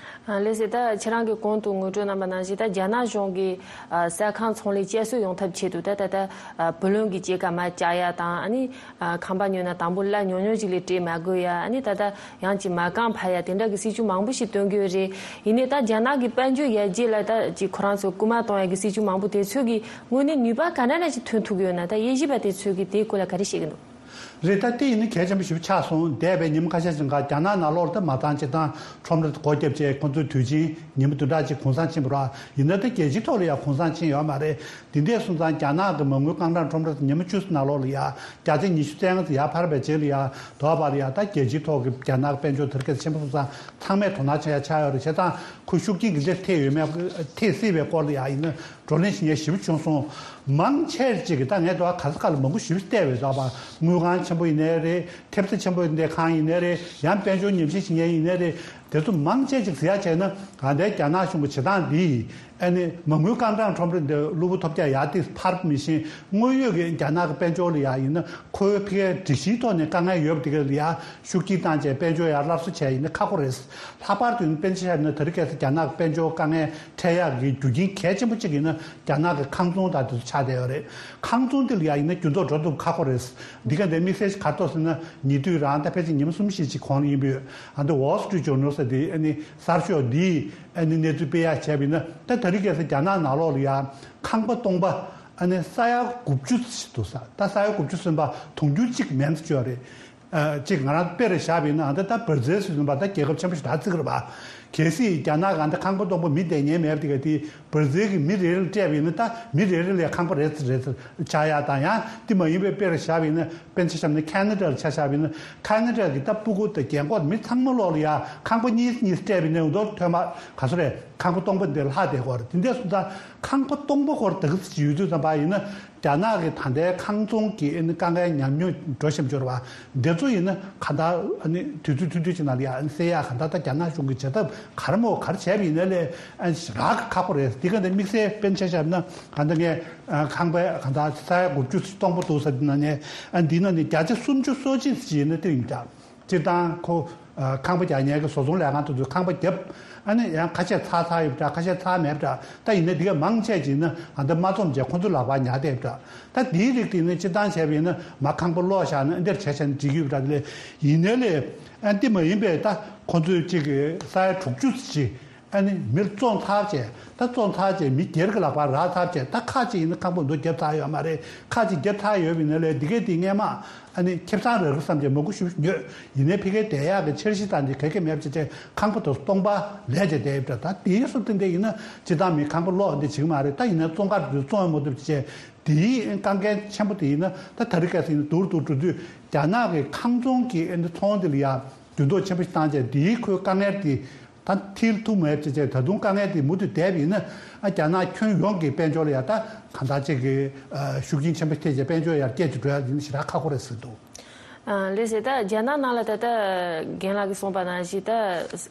ལགས་སོ། ད་ཁྱེད་རང་གིས་གོང་དུ་ངོ་སྤྲོད་གནང་པ་ནང་བཞིན་ད་རྒྱ་ནག་གཞུང་གིས་ཨ་ས་ཁང་ཚོང་ལས་བསྐྱར་གསོ་ཡོང་ཐབས་ཆེད་དུ་ད་ད་ལྟ་ཨ་བུ་ལོན་གྱི་སྐྱེད་ཀ་མར་བཅག་ཡ་དང་ཨ་ནི་ཨ་ཁང་པ་ཉོས་ན་དང་པོ་གླ་ཉུང་ཉུང་ཞིག་ལས་སྤྲད་མ་དགོས་ཡ་ཨ་ནི་ད་ལྟ་ཡང་ཅིག་མ་རྐང་འཕར་ཡ་དེ་འདྲ་གི་སྲིད་ཇུས་མང་པོ་ཞིག་བཏོན་གྱི་ཡོད་རེད། ཡིན་ནའི་ད་རྒྱ་ནག་གི་དཔལ་འབྱོར་ཡར་རྒྱས་ལ་ད་ཅིག་ཁོ་རང་ཚོ་སྐུལ་མ་གཏོང་ཡ་གི་སྲིད་ཇུས་མང་པོ་དེ་ཚོ་གི་དངོས་གནས་ནུས་པ་ག་འདྲ་འདྲ་ཞིག་ཐོན་ཐུབ་ཀྱི་ཡོད་ན་ད་དབྱེ་ཞིབ་པ་དེ་ཚོ་གིས་དེའི་སྐོར་ལ་ག་རེ་བཤད་ཀྱི་འདུག་རེད། ད་དེ་ཡིན་ན་གལ་ཆེན་པོ་ཞིག་ཆགས་སོང་། འདས་པའི་ཉིན་མོ་ཁ་ཤས་ཤིག་ག་རྒྱ་ནག་ནང་ལོགས་ལ་ད་མ་ཚང་སྤྱིར་བཏང་ཁྲོམ་ར་སྒོ་བརྒྱབ་བྱས་ཁོང་ཚོའི་དུས་ཆེན་ཉིན་མོ་བདུན་ཕྲག་གཅིག་གུང་སེང་ཕྱིན་པ་རེད། ཡིན་ན་ད་རྒྱལ་སྤྱིའི་ཐོག་ལ་ཡང་གུང་སེང་ཕྱིན་ཡོད་མ་རེད། དེ་འདྲས་སོང་ཙང་རྒྱ་ནག་གི་མ་དངུལ་རྐང་གྲངས་ཁྲོམ་ར་ཉིན་མོ་བཅུ་ཙམ་ནང་ལོགས་ལ་ཡང་བརྒྱ་ཆ་ཉི་ཤུ་རྩ་ལྔ་ཙམ་ཡར་འཕར་བའི་རྗེས་ལ་ཡང་དོ་བར་ཡང་ད་རྒྱལ་སྤྱིའི་ཐོག་གི་རྒྱ་ནག་དཔལ་འབྱོར་དར་རྒྱས་ཆེན་པོ་སོང་ཙང་ཚང་མས་དོ་སྣང་བྱེད་ཡ་ཆགས་ཡོད་རེད། བྱས་ཙང་ཁོ་ཤུགས་རྐྱེན་ག་འདྲས་ཐེབས་ཡོད་མེད་ཐེབས་སྲིད་པའི་སྐོར་ལ་ཡང་ཡིན་ན། བགྲོ་གླེང་བྱེད་མཁན་ཞེ་པོ་བྱུང་སོང་། མང་ཆེར་ཅིག་གིས་ད་ངས་དོ་ཁ་ས་ཁ་ལ་མང་པོ་ཞེ་པོ་བལྟས་པས་རེད་པ། དངུལ་ཁང་ཆེན་པོ་ཡིན་ནའི་རེད། ཐེབས་རྩ་ཆེན་པོ་ཡིན་ནའི་ཁང་ཡིན་ནའི་རེད། ཡང་དཔལ་འབྱོར་ཉམས་ཞིབ་བྱེད་མཁན་ཡིན་ནའི་རེད། དེ་ཚོ་མང་ཆེ་ཅིག་ཟེར་ཡ་བྱས་ན་ད་ལྟའི་རྒྱ་ནག་གཞུང་གི་བྱེད་སྟངས་འདིས་ཨ་ནི་མ་དངུལ་རྐང་གྲངས་ཁྲོམ་ར་འདི་གློ་བུར་ཐོལ་རྒྱག་ཡར་ཏོག་ཙམ་འཕར་བ་མི་ཤེས། དངོས་ཡོད་ཀྱི་རྒྱ་ནག་གི་དཔལ་འབྱོར་ལ་ཡ་ཡིན་ན་ཁོའི་ཕ་གིའི་སྒྲིག་གཞིའི་ཐོག་ནས་དཀའ་ངལ་ཡོད་པ་དེ་ག་ལ་ཡ་ཤུགས་རྐྱེན་བཏང་བྱས་དཔལ་འབྱོར་ཡར་སླར་གསོ་བྱས་ཡིན་ན་ཁག་པོ་རེད། ལྷག་པར་དུ་ཡིན་ན་དཔེར་ན་ཆ་བཞག་ན་ད་རེས་ཁ་སང་རྒྱ་ནག་གི་དཔལ་འབྱོར་དཀའ་ངལ་འཕྲད་ཡག་གི་རྒྱུ་རྐྱེན་གལ་ཆེན་པོ་གཅིག་ཡིན་ན་རྒྱ་ནག་གི་ཁང་ཚོང་དང་དེ་ཚོ་ཆགས་བསྡད་ཡོད་རེད། ཁང་ཚོང་དེ་ལ་ཡང་ཡིན་ན་འགྱུར་ལྡོག་འགྲོ་ཐུབ་ཁག་པོ་རེད། འདི་ག་འདྲའི་དམིགས་བསལ་ཞིག་ག་རེ་འདུག་ཟེར་ན་ཉེ་དུས་རང་ད་ཕལ་ཆེར་ཉི་མ་གསུམ་བཞི་ཅིག་གོང་ལ་ཡིན་པས་ཨ་འདི་Wall Street Journal་ཟེར་དེ་ཨ་ནི་གསར་ཤོག་འདིས་ཨ་ནི་གནས་ཚུལ་སྤེལ་ཡག་བྱས་པ་ཡིན་ན་ད་ད་རེས་ཁ་སང་རྒྱ་ནག་ནང་ལོགས་ལ་ཡང་ཁང་པ་སྟོང་པ་ཨ་ནི་ས་ཡ་དགུ་བཅུ་ཙམ་ཞིག་འདུག་ས། ད་ས་ཡ་དགུ་བཅུ་ཟིན་པ་དུང་ཕྱུར་གཅིག་མན་ཙམ་ཅིག་ཡོད་རེད། ཨ་གཅིག་ང་རང་དཔེ་རུ་བཞག་པ་ཡིན་ན་ཨ་ད་ད་བར་ཛིལ་ཟེར་བ་ད་རྒྱལ་ཁབ་ཆེན་པོ་ཞིག་ད་བརྩི་གི་རེད་པ། གལ་སྲིད་རྒྱ་ནག་གི་ཨ་ད་ཁང་པ་སྟོང་པ་མི་བསྡད་ཉན་མེད་པ་དེ་ག་དེ་བར་ཛིལ་གྱི་མི་རེ་རེ་ལ་སྤྲད་པ་ཡིན་ན་ད་མི་རེ་རེ་ལ་ཁང་པ་རེ་ཙམ་རེ་ཙམ་ཆགས་ཡག་དང་། ཡང་དེ་མ་ཡིན་པའི་དཔེ་རུ་བཞག་པ་ཡིན་ན་དཔེར་ན་ཆ་བཞག་ན་ཁེ་ན་ཌ་ལ་ཆ་བཞག་པ་ཡིན་ན་ཁེ་ན་ཌ་གི་ད་སྤུ་གུ་དང་རྒན་འཁོགས་མི་ཚང་མ་ལོག་ལ་ཡ་ཁང་པ་གཉིས་གཉིས་སྤྲད་པ་ཡིན་ན་འུ་ཐོག་ཐོན་པ་ག་ཚོད་རེད། ཁང་པ་སྟོང་པ་འདི་ལྷག་བསྡད་ཀྱི་ཡོད་རེད། དེ་འདྲ་སོང་ཙང་ཁང་པ་སྟོང་པ་སྐོར་དག་ཅིག་ཡོད་དུས་ཙམ་པ་ཡིན་ན། རྒྱ་ནག་གི་ད་ལྟའི་ཁང་ཚོང་གི་ཨ་ནི་དཀའ་ངལ་ཉམས་མྱོང་འགྲོ་བཞིན་འབྱོར་བ་འདི་ཚོ་ཡིན་ན་གང་ལྟར་ཨ་ནི་དུས་ཚོད་ཐུང་ཐུང་ཅིག་ནང་ལ་ཡ་ཨ་ནི་སེལ་ཡག་གང་ལྟར་ད་རྒྱ་ནག་གཞུང་གིས་བྱ་ཐབས་ག་རེ་མོ་ག་རེ་བྱས་པ་ཡིན་ན་ལས་ཨ་ནི་རག་གི་ཁག་པོ་རེད། འདི་ག་འདི་དམིགས་བསལ་དཔེར་ན་ཆ་བཞག་ན་གང་ལྟར་ངས་ཨ་ཁང་པའི་གང་ལྟར་ས་ཡ་དགུ་བཅུ་སྟོང་པོ་འདུག་ཟེར་འདི་ནང་ནས་ཨ་འདི་ནང་ནས་བརྒྱ་ཆ་སུམ་ཅུ་སོ་གཅིག་ཅིག་ཡིན་ན་དེ་ཡིན་འདྲ། སྤྱིར་བཏང་ཁོ་ཨ་ཁང་པ་རྒྱག་མཁན་གྱི་བཟོ་ཚོང་ལས་ཁང་དེ་ཚོས་ཁང་པ་བརྒྱབ། ཨ་ནི་ཡང་ཁ་ཤས་ཚར་ཚར་ཡོད་པ་འདྲ། ཁ་ཤས་ཚར་མེད་པ་འདྲ། ད་ཡིན་ན་འདི་ག་མང་ཆེ་ཅིག་ཡིན་ན་ཨ་འདི་མ་རྩོམ་བྱས་ཁོ་ཚོ་ལག་པར་ཉར་བསྡད་པ་འདྲ། ད་འདིའི་རིགས་དེ་ཡིན་ན་སྤྱིར་བཏང་བྱས་པ་ཡིན་ན་མ་ཁང་པ་སློག་བཞག་ན་ཨ་འདིར་བྱས་བྱས་ན་འགྲིག་གི་ཡོད་པ་འདྲ། དེ་ལས་ཡིན་ནའི་ལས་ཨ་འདི་མ་ཡིན་པའི་ད་ཁོ་ཚོས་གཅིག་གི་ས་ཡ་དྲུག་ཅུ་ཅིག་ ཨ་ནི་མིར་བཙོང་ཚར་བྱས། ད་བཙོང་ཚར་བྱས་མི་སྒེར་གྱི་ལག་པར་རག་ཚར་བྱས། ད་ཁ་ཅིག་ཡིན་ན་ཁང་པ་འདུག་བརྒྱབ་ཚར་ཡོད་མ་རེད། ཁ་ཅིག་བརྒྱབ་ཚར་ཡོད་པ་ཡིན་ན་ལས་འདི་གས་དེ་སྔས་མ་ཨ་ནི་ཁེ་བཟང་རག་གི་བསམ་བྱས་མང་པོ་ཞིག་ཉོས། ཡིན་ནའི་ཕ་གིར་བསྡད་ཡག་གི་འཆར་གཞི་དང་དེ་ག་གེ་མེད་པ་བྱས་བྱས་ཁང་པ་དེ་སྟོང་པ་ལས་བྱས་བསྡད་ཡོད་པ་འདྲ། ད་དེའི་སུ་དེ་འདྲ་ཡིན་ན་སྤྱིར་བཏང་མི་ཁང་པ་ལོག་འདི་བྱེད་ཀྱི་མ་རེད། ད་ཡིན་ན་བཙོང་ཁར་དེ་བཙོང་ཡང་མ་ཐུབ་བྱས། དེའི་དཀའ་ངལ་ཆེན་པོ་དེ་ཡིན་ན་ད་ད་རེས་ཁ་སང་ཡིན་ན་སྡུག་རུ་སྡུག་འགྲོ་དུས། རྒྱ་ནག་གི་ཁང་ཚོང་གི་ཨ་ནི་ཚོང་འདི་ལ་ཡང་འགྱུར་ལྡོག་ཆེན་པོ་ཞིག་བཏང་བྱས། དེའི་ཁོའི་དཀའ་ངལ་དེ་ད་མཐིལ་ཐུག་མེད་ཅེས་བྱས། ད་དུང་དཀའ་ངལ་དེ་མུ་མཐུད་བསྡད་པ་ཡིན་ན། ཨ་རྒྱ་ནག་ཁྱོན་ཡོངས་ཀྱི་དཔལ་འབྱོར་ལ་ཡང་ད་གང་ལྟར་ཅིག་གི་ཤུགས་རྐྱེན་ཆེན་པོ་ཐེབས་བྱས་དཔལ་འབྱོར་ཡར་རྒྱས་ཀྱི་འགྲོ་ཡ་དེ་ནི་ཞེ་དྲག་ཁག་པོ་རེད་ཟེར་འདུག། ཨ་ལགས་སེ། ད་རྒྱ་ནག་ནང་ལ་ད་ལྟ་རྒན་ལགས་ཀྱིས་གསུངས་པ་ནང་བཞིན་ད་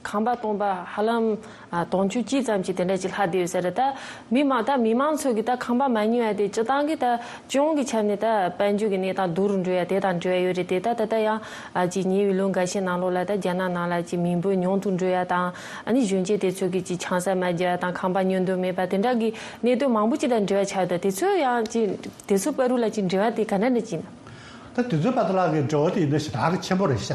ཁང་པ་སྟོང་པ་ཧ་ལམ་ཨ་དོན་བཅུ་གཅིག་ཙམ་ཅིག་དེ་འདྲ་ཅིག་ལྷག་བསྡད་ཡོད་ས་རེད། ད་མི་མང་ད་མི་མང་ཚོ་གིས་ད་ཁང་པ་མ་ཉོ་ཡ་དེ་སྤྱིར་བཏང་གི་ད་སྤྱི་ཡོངས་ཀྱི་ཆ་ནས་ད་དཔལ་འབྱོར་གྱི་གནས་སྟངས་སྡུག་རུ་འགྲོ་ཡ་དེ་དང་འབྲེལ་བ་ཡོད་རེད་དེ། ད་ད་ལྟ་ཡང་ཨ་ཅིག་ཉེ་བའི་ལོ་འགའ་ཤས་ནང་ལོགས་ལ་ད་རྒྱ་ནག་ནང་ལ་ཅིག་མི་འབོར་ཉུང་དུ་འགྲོ་ཡ་དང་། ཨ་ནི་གཞོན་སྐྱེས་དེ་ཚོ་གིས་ཅིག་ཆང་ས་མ་རྒྱག་ཡ་དང་ཁང་པ་ཉོ་འདོད་མེད་པ་དེ་འདྲ་གི་གནད་དོན་མང་པོ་ཅིག་དང་འབྲེལ་བ་ཆགས་ཡོད། ད་དེ་ཚོ་ཡང་ཅིག་དེ་ཚོ་བར་དུ་ལ་ཅིག་འབྲེལ་བ་དེ་ག་འདྲ་འདྲ་ཅིག་ཡིན་ན། ད་དེ་ཚོའི་བར་དུ་ལ་གི་འབྲེལ་བ་དེ་ཡིན་ན་ཞེ་དྲག་གི་ཆེན་པོ་རེད་ཤག།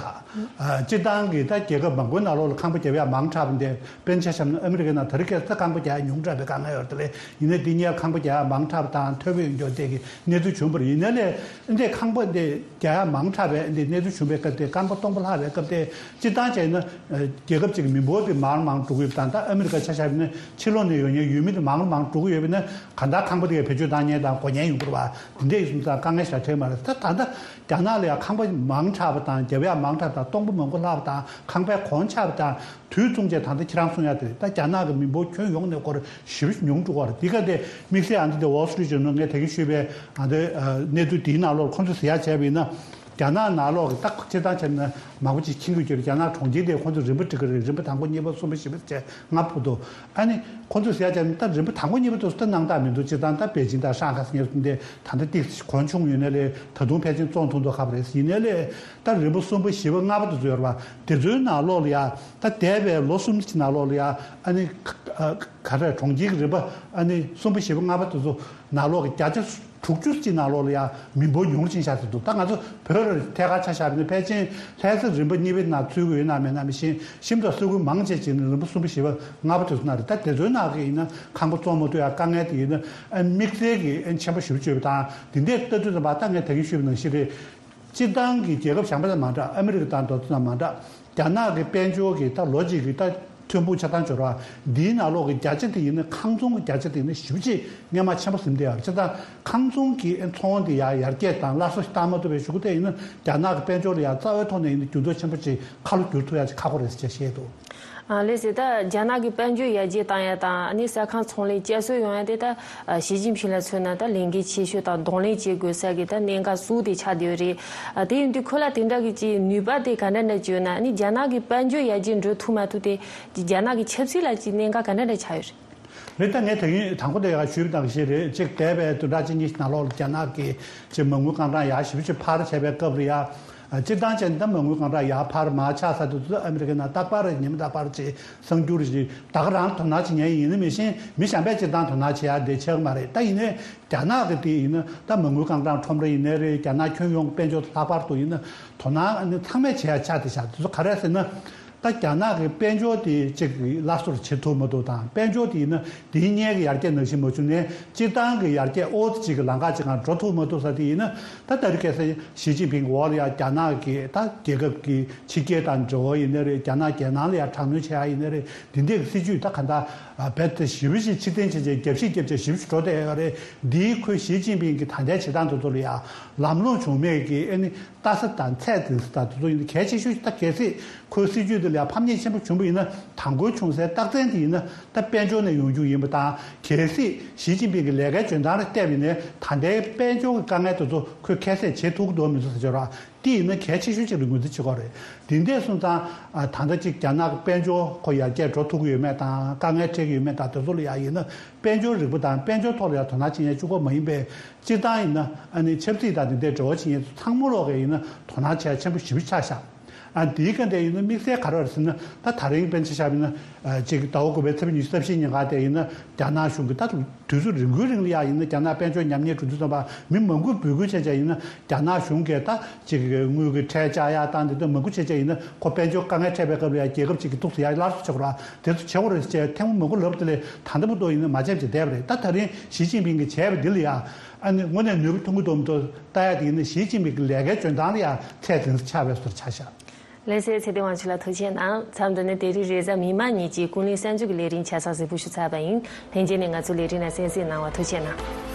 ཨ་སྤྱིར་བཏང་གི་ད་རྒྱལ་ཁབ་མང་པོའི་ནང་ལོགས་ལ་ཁང་པ་རྒྱབ་ཡ་མང་དྲགས་པ་འདི། དཔེར་ན་ཆ་བཞག་ན་ཨ་མི་རི་ཀའི་ནང་ད་རེས་ཁ་སང་ཁང་པ་རྒྱག་ཡ་ཉུང་དྲགས་པའི་དཀའ་ངལ་ཡོད་རེད་དེ། ལས་ཡིན་ནའི་འདི་སྔོན་ཁང་པ་རྒྱག་ཡ་མང་དྲགས་པ་དང་ཐོལ་པ་ཡོང་རྒྱུ་དེ་གི་གནས་ཚུལ་བྱུང་བ་རེད། ཡིན་ནའི་ལས་འདི་ཁང་པ་འདི་རྒྱག་ཡ་མང་དྲགས་པའི་འདི་གནས་ཚུལ་བྱུང་བའི་སྐབས་དེ། ཁང་པ་སྟོང་པ་ལྷག་པའི་སྐབས་དེ། སྤྱིར་བཏང་བྱས་ན་རྒྱལ་ཁབ་ཅིག་གི་མི་འབོར་དེ་མར་མར་འགྲོ་གི་ཡོད་པ་དང་། ད་ཨ་མི་རི་ཀ་ཆ་བཞག་ན་ཕྱི་ལོགས་ནས་ཡོང་མཁན་ཡུལ་མི་དེ་མར་མར་འགྲོ་གི་ཡོད་པ་ན། གང་ལྟར་ཁང་པ་དེ་ག་བེད་སྤྱོད་བཏང་མཁན་དང་དགོས་མཁན་ཡོང་གི་རེད་པ། དེ་འདྲ་ཡིན་སོང་ཙང་དཀའ་ངལ་ཞེ་དྲག་འཕྲད་མ་རེད། ད་ད་ལྟ་རྒྱ་ནག་ལ་ཡང་ཁང་པ་མང་དྲགས་པ་དང་རྒྱབ་ཡ་མང་དྲགས་དང་སྟོང་པ་མང་པོ་ལྷག་པ་དང་ཁང་པའི་གོང་ཆག་པ་དང་དུས་མཚུངས་བྱས། ད་ལྟ་ཁྱེད་རང་གསུང་ཡ་དེ་རེད། ད་རྒྱ་ནག་གི་མི་འབོར་ཁྱོན་ཡོངས་ནས་སྐོར་ཞེ་པོ་ཉུང་འགྲོ་གི་རེད། འདི་ག་དེ་དམིགས་བསལ་ཨ་འདི་དེ་Wall Street Journal ངས་ད་གིན་ཞུས་པའི་ཨ་འདི་གནས་ཚུལ་དེའི་ནང་ལོགས་ཁོང་ཚོས་ཟེར་ཡ་བྱས་པ་ཡིན་ན། རྒྱ་ནག་ནང་ལོགས་ཀྱི་ད་སྤྱིར་བཏང་བྱས་ན་མང་པོ་ཅིག་མཁྱེན་གྱི་ཡོད་རེད། རྒྱ་ནག་གྲོང་ཁྱེར་དེ་ཁོང་ཚོ་རིམ་པ་སྒྲིག་གི་རེད། རིམ་པ་དང་པོ་གཉིས་པ་གསུམ་པ་བཞི་པ་བྱས་ལྔ་པ་བར་དུ། ཨ་ནི་ཁོང་ཚོས་ཟེར་ཡ་བྱས་ན་ད་རིམ་པ་དང་པོ་གཉིས་པ་དེ་ཚོ་ད་སྣང་དག་མི་འདུག། སྤྱིར་བཏང་ད་པེ་ཅིང་དང་ཧྲང་ཧའེ་ཟེར་མཁན་དེ་ད་ལྟ་ཏོག་ཙམ་གོང་ཆུང་ཡོད་ནའི་ལས་ད་དུང་ཕལ་ཆེར་བཙོང་ཐུབ་མདོག་ཁ་པོ་རེད། ཡིན་ནའི་ལས་ད་རིམ་པ་གསུམ་པ་བཞི་པ་ལྔ་པ་དེ་ཚོ་ཡོད་རེད་པ། དེ་ཚོའི་ནང་ལོགས་ལ་ཡ་ད་འདས་པའི་ལོ་གསུམ་གྱི་ནང་ལོགས་ལ་ཡ་ཨ་ནི་ག་རེ་གྲོང་ཁྱེར་གྱི་རིམ་པ་ཨ་ནི་གསུམ་པ་བཞི་པ་ལྔ་པ་དེ་ཚོ་ནང་ལོགས་ཀྱི་བརྒྱ་ཆ་དྲུག་ཅུ་ཅིག་ནང་ལོགས་ལ་ཡང་མི་འབོར་ཉུང་རུ་ཕྱིན་ཤག་ཟེར་འདུག། ད་ང་ཚོ་བོད་ལ་ཐད་ཀར་ཆ་བཞག་པ་ཡིན་ན་ཕལ་ཆེར་ལྷ་ས་རིམ་པ་གཉིས་པའི་ནང་ཚུད་ཀྱི་ཡོད་ན་མེད་ན་མི་ཤེས། ཤིན་ཏུ་སེ་གོལ་མང་ཆེ་ཅིག་ནི་རིམ་པ་གསུམ་པ་བཞི་པ་ལྔ་པ་དེ་ཚོ་ནང་རེད། ད་དེ་ཚོའི་ནང་གི་ཡིན་ན་ཁང་པ་བཙོང་མ་ཐུབ་ཡ་དཀའ་ངལ་དེ་ཡིན་ན་ཨ་དམིགས་བསལ་གྱི་ཨ་ཆེན་པོ་ཞེ་པོ་ཅིག་ཡོད་པ་དང་། དེ་འདྲའི་ལྟ་དུས་ཙམ་པ་ད་ངས་ད་གིན་ཞུས་པ་ནང་བཞིན་རེད། སྤྱིར་བཏང་གི་རྒྱལ་ཁབ་གཞན་པ་དང་མ་འདྲ། ཨ་མི་རི་ཀ་དང་དེ་ཚོ་དང་མ་འདྲ། རྒྱ་ནག་གི་དཔལ་འབྱོར་གྱི་ད་ལོ་གཅིག་གི་ད་ཐོན་ཁུངས་ཆ་ཚང་འབྱོར་བ་འདིའི་ནང་ལོགས་ཀྱི་བརྒྱ་ཆ་དེ་ཡིན་ན། ཁང་ཚོང་གི་བརྒྱ་ཆ་དེ་ཡིན་ན་ཞེ་པོ་ཅིག་སྔས་མ་ཆེན་པོ་ཟིན་བསྡད་ཡོད་རེད། བྱས་ཙང་ཁང་ཚོང་གི་ཚོང་དེ་ཡར་ཡར་རྒྱས་དང་སླར་གསོ་ཞིག་བཏང་མ་ཐུབ་པའི་གཞུག་གུ་དེ་ཡིན་ན། རྒྱ་ནག་གི་དཔལ་འབྱོར་ལ་ཡང་རྩ་བའི་ཐོག་ནས་ཡིན་ན་འགྱུར་ལྡོག་ཆེན་པོ་ཅིག་ཁ་ལོ་བསྒྱུར་ཐུབ་ཡ་ཅིག་ཁག་པོ་རེད་ཅེས་བཤད་འདུག། ཨ་ལགས་སེ། ད་རྒྱ་ནག་གི་དཔལ་འབྱོར་ཡར་རྒྱས་བཏང་ཡ་དང་། ཨ་ནི་ས་ཁང་ཚོང་ལས་བསྐྱར་གསོ་ཡོང་ཡ་དེ་ད་ཨ་ཞི་ཅིན་ཕིང་ལ་མཚོན་ན་ད་ལས་འགན་ཆེ་ཤོས་དང་གདོང་ལེན་བྱེད་དགོས་ས་གི་ད་གནད་འགག་གཙོ་བོ་དེ་ཆགས་བསྡད་ཡོད་རེད། ཨ་དེ་ཡིན་དུས་ཁོ་ལ་དེ་འདྲ་གི་ཅིག་ནུས་པ་དེ་ག་འདྲ་འདྲ་ཅིག་ཡོད་ན། ཨ་ནི་རྒྱ་ནག་གི་དཔལ་འབྱོར་ཡར་རྒྱས་འགྲོ་ཐུབ་མ་ཐུབ་དེ་རྒྱ་ནག་གི་ཆབ་སྲིད་ལ་ཅིག་གནད་འགག་ག་འདྲ་འདྲ་ཆགས་ཡོད་རེད། རེད། ད་ངས་ད་གིན་དང་པོ་དེ་ཡང་ཞུས་པ་དང་བཞིན་རེད། གཅིག་འདས་པའི་བདུན་ཕྲག་གཅིག་གཉིས་ནང་ལོགས་ལ་རྒྱ་ནག་གི་ཅིག་མ་དངུལ་རྐང་གྲངས་ཡར་ཞེ་པོ་ཅིག་འཕར་བྱས་པའི་སྐབས་ལ་ཡ། ཨ་སྤྱིར་བཏང་བྱས་ན་ད་མ་དངུལ་རྐང་གྲངས་ཡར་འཕར་མར་ཆག་ས་དེ་ཚོ་ཨ་མི་རི་ཀའི་ནང་རྟག་པར་ཉིན་རྟག་པར་ཅིག་གསར་འགྱུར་ཞིག་ད་ག་རང་དོ་སྣང་བྱེད་མཁན་ཡིན་ན་མི་ཤེས། མི་གཞན་པས་སྤྱིར་བཏང་དོ་སྣང་བྱེད་ཡ་དེ་ཆགས་ཀྱི་མ་རེད། ད་ཡིན་ནའི་རྒྱ་ནག་གི་དེ་ཡིན་ན་ད་མ་དངུལ་རྐང་གྲངས་ཁྲོམ་ར་ཡིན་ནའི་རེད། རྒྱ་ནག་ཁྱོན་ཡོངས་དཔལ་འབྱོར་ལྷག་པར་དུ་ཡིན་ན་དོ་སྣང་ཨ་ནི་ཚང་མས་བྱེད་ཡ་ཆགས་བསྡད་ཤག། དེ་ཚོ་ག་རེ་ཟེར་ན། ད་རྒྱ་ནག་གི་དཔལ་འབྱོར་དེ་གཅིག་གི་སླར་གསོ་བྱེད་ཐུབ་མ་ཐུབ་དང་། དཔལ་འབྱོར་དེ་ཡིན་ན་དེའི་སྔོན་གྱི་ཡར་རྒྱས་ནང་བཞིན་མ་བྱུང་ནས་སྤྱིར་བཏང་གི་ཡར་རྒྱས་ཨོ་ཙི་གཅིག་གི་ལམ་ཁ་གཅིག་སྒང་འགྲོ་ཐུབ་མ་ཐུབ་ས་དེ་ཡིན་ན། ད་ད་རེས་ཁ་སང་ཞི་ཅིན་ཕིང་གི་འོག་ལ་ཡང་རྒྱ་ནག་གི་ད་རྒྱལ་ཁབ་ཀྱི་ཕྱི་རྒྱལ་དང་འབྲེལ་བ་ཡིན་ནའི་རེད། རྒྱ་ནག་རྒྱལ་ནང་ལ་ཡང་དྲག་གནོན་བྱེད་ཡ་ཡིན་ནའི་རེད། དེ་འདྲའི་གི་སྲིད་ཇུས་ད་ག་འདྲ་རྦད་དེ་ཞེ་པོ་ཅིག་ཕྱིར་འཐེན་བྱས་བྱས་རྒྱབ་བཤིག་རྒྱབ་བྱས་ཞེ་པོ་ཅིག་འགྲོ་བསྡད་ཡོད་རེད། འདིའི་ཁོས་ཞི་ཅིན་ཕིང་གི་ད་ལྟའི་བྱེད་སྟངས་དེ་ཚོ་ལ་ཡང་ལམ་ལྷོང་བྱུང་མེད་ཀྱི་ཨ་ནི། ལྟ་ས་དང་ཚད་འཛིན་ས་དང་དེ་ཚོ་ཡིན་ན་གལ་ཆེ་ཤོས་ཤིག། ད་གལ་སྲིད་ཁོའི་སྲིད་ཇུས་དེ་ལ་ཕམ་ཉེས་ཆེན་པོ་བྱུང་བ་ཡིན་ན། དང་པོའི་བྱུང་སའི་རྟགས་མཚན་དེ་ཡིན་ན་ད་དཔལ་འབྱོར་ནས་ཡོང་རྒྱུ་ཡིན་པ་དང་། གལ་སྲིད་ཞི་ཅིན་ཕིང་གི་ལས་ཀའི་འཇོན་ཐང་ལ་བལྟས་པ་ཡིན་ན། ད་ལྟའི་དཔལ་འབྱོར་གྱི་དཀའ་ངལ་དེ་ཚོ་ཁོས་ཁྱད་བསད་བྱེད་ཐུབ་ཀྱི་འདུག་མི་འདུག་ཟེར་བྱས་ར། དེ་ཡིན་ན་གལ་ཆེ་ཤོས་ཅིག་ལ་ངོས་འཛིན་བྱེད་དགོས་རེད། དེ་འདྲ་སོང་ཙང་ཨ་ད་ལྟ་ཅིག་རྒྱ་ནག་གི་དཔལ་འབྱོར་ཁོ་ཡར་རྒྱས་འགྲོ་ཐུབ་ཀྱི་ཡོད་མེད་དང་། དཀའ་ངལ་འཕྲད་ཀྱི་ཡོད་མེད་དང་། དེ་ཚོ་ལ་ཡང་ཡིན་ན་དཔལ་འབྱོར་རིག་པ་དང་དཔལ་འབྱོར་ཐོག་ལ་ཡང་དོ་སྣང་བྱེད་མཁན་གཅིག་པོ་མ་ཡིན་པའི། སྤྱིར་བཏང་ཡིན་ན་ཨ་ནི་ཆབ་སྲིད་དང་དེ་འདྲའི་འབྲེལ་བ་བྱེད་མཁན་ཚོ་ཚང་མ་ལོག་གི་ཡིན་ན་དོ་སྣང་བྱེད་ཡ་ཆེན་པོ་ཞེ་པོ་ཆགས་ཤག། ཨ་འདིའི་སྐབས་དེ་ཡིན་ན་དམིགས་བསལ་ག་རེ་རེད་ཟེར་ན། ད་ད་རིང་དཔེར་ན་ཆ་བཞག་པ་ཡིན་ན་ཨ་ཅིག་ཟླ་བ་དགུ་པའི་ཚེས་པ་ཉི་ཤུ་རྩ་བཞིའི་ཉིན་ག་དེ་ཡིན་ན་རྒྱ་ནག་གཞུང་གིས་ད་དུས་ཚོད་རིང་པོའི་རིང་ལ་ཡང་ཡིན་ན་རྒྱ་ནག་དཔལ་འབྱོར་ཉམས་ཉེས་འགྲོ་དུས་ཙམ་པ་མི་མང་པོས་འབོད་སྐུལ་བྱས་བྱས་ཡིན་ན་རྒྱ་ནག་གཞུང་གིས་ད་ཅིག་དངུལ་གྱི་ཁྲལ་བཅག་ཡག་དང་དེ་ཚོ་མང་པོ་བྱས་བྱས་ཡིན་ན་ཁོ་དཔལ་འབྱོར་དཀའ་ངལ་འཕྲད་པའི་སྐབས་ལ་ཡང་རྒྱལ་ཁབ་ཅིག་གི་ཐུགས་སུ་ཡང་སླར་གསོ་བྱེད་དགོས་ར། དེ་ཚོ་བྱེད་དགོས་རེད་ཅེས་ཐེངས་མང་པོ་ལབ་དེ་ལས་ད་ལྟ་བར་དུ་ཡིན་ན་མ་བྱས་བྱས་བསྡད་པ་རེད། ད་ད་རིང་ཞི་ཅིན་ཕིང་གིས་བྱས་པ་འདི་ལ་ཡང་ཨ་ནི་དངོས་གནས་ནུས་པ་ཐོན་གྱི་འདུག་མི་འདུག་ལྟ་ཡག་དེ་ཡིན་ན་ཞི་ཅིན་ཕིང་གི་ལས་ཀའི་འཇོན་ཐང་ལ་ཡང་ཚད་ལྡན་ཆགས་པའི་བཟོ་འདྲ་ཆགས་ཤག། ལྷན་རྒྱས་ཚེ་བརྟན་དབང་ཕྱུག་ལགས་ཐུགས་རྗེ་གནང་། མཚམས་འདི་ནས་དེ་རིང་རེས་གཟའ་མིག་དམར་ཉིན་གྱི་ཀུན་གླེང་གསར་འགྱུར་གྱི་ལས་རིམ་ཆ་ཚང་གཟིགས་འབུལ་ཞུ་ཚར་བ་ཡིན། ལྷན་རྒྱས་ནས་ང་ཚོའི་ལས་རིམ་ནང་གསན་གཟིགས་གནང་བར་ཐུགས་རྗེ་གནང་།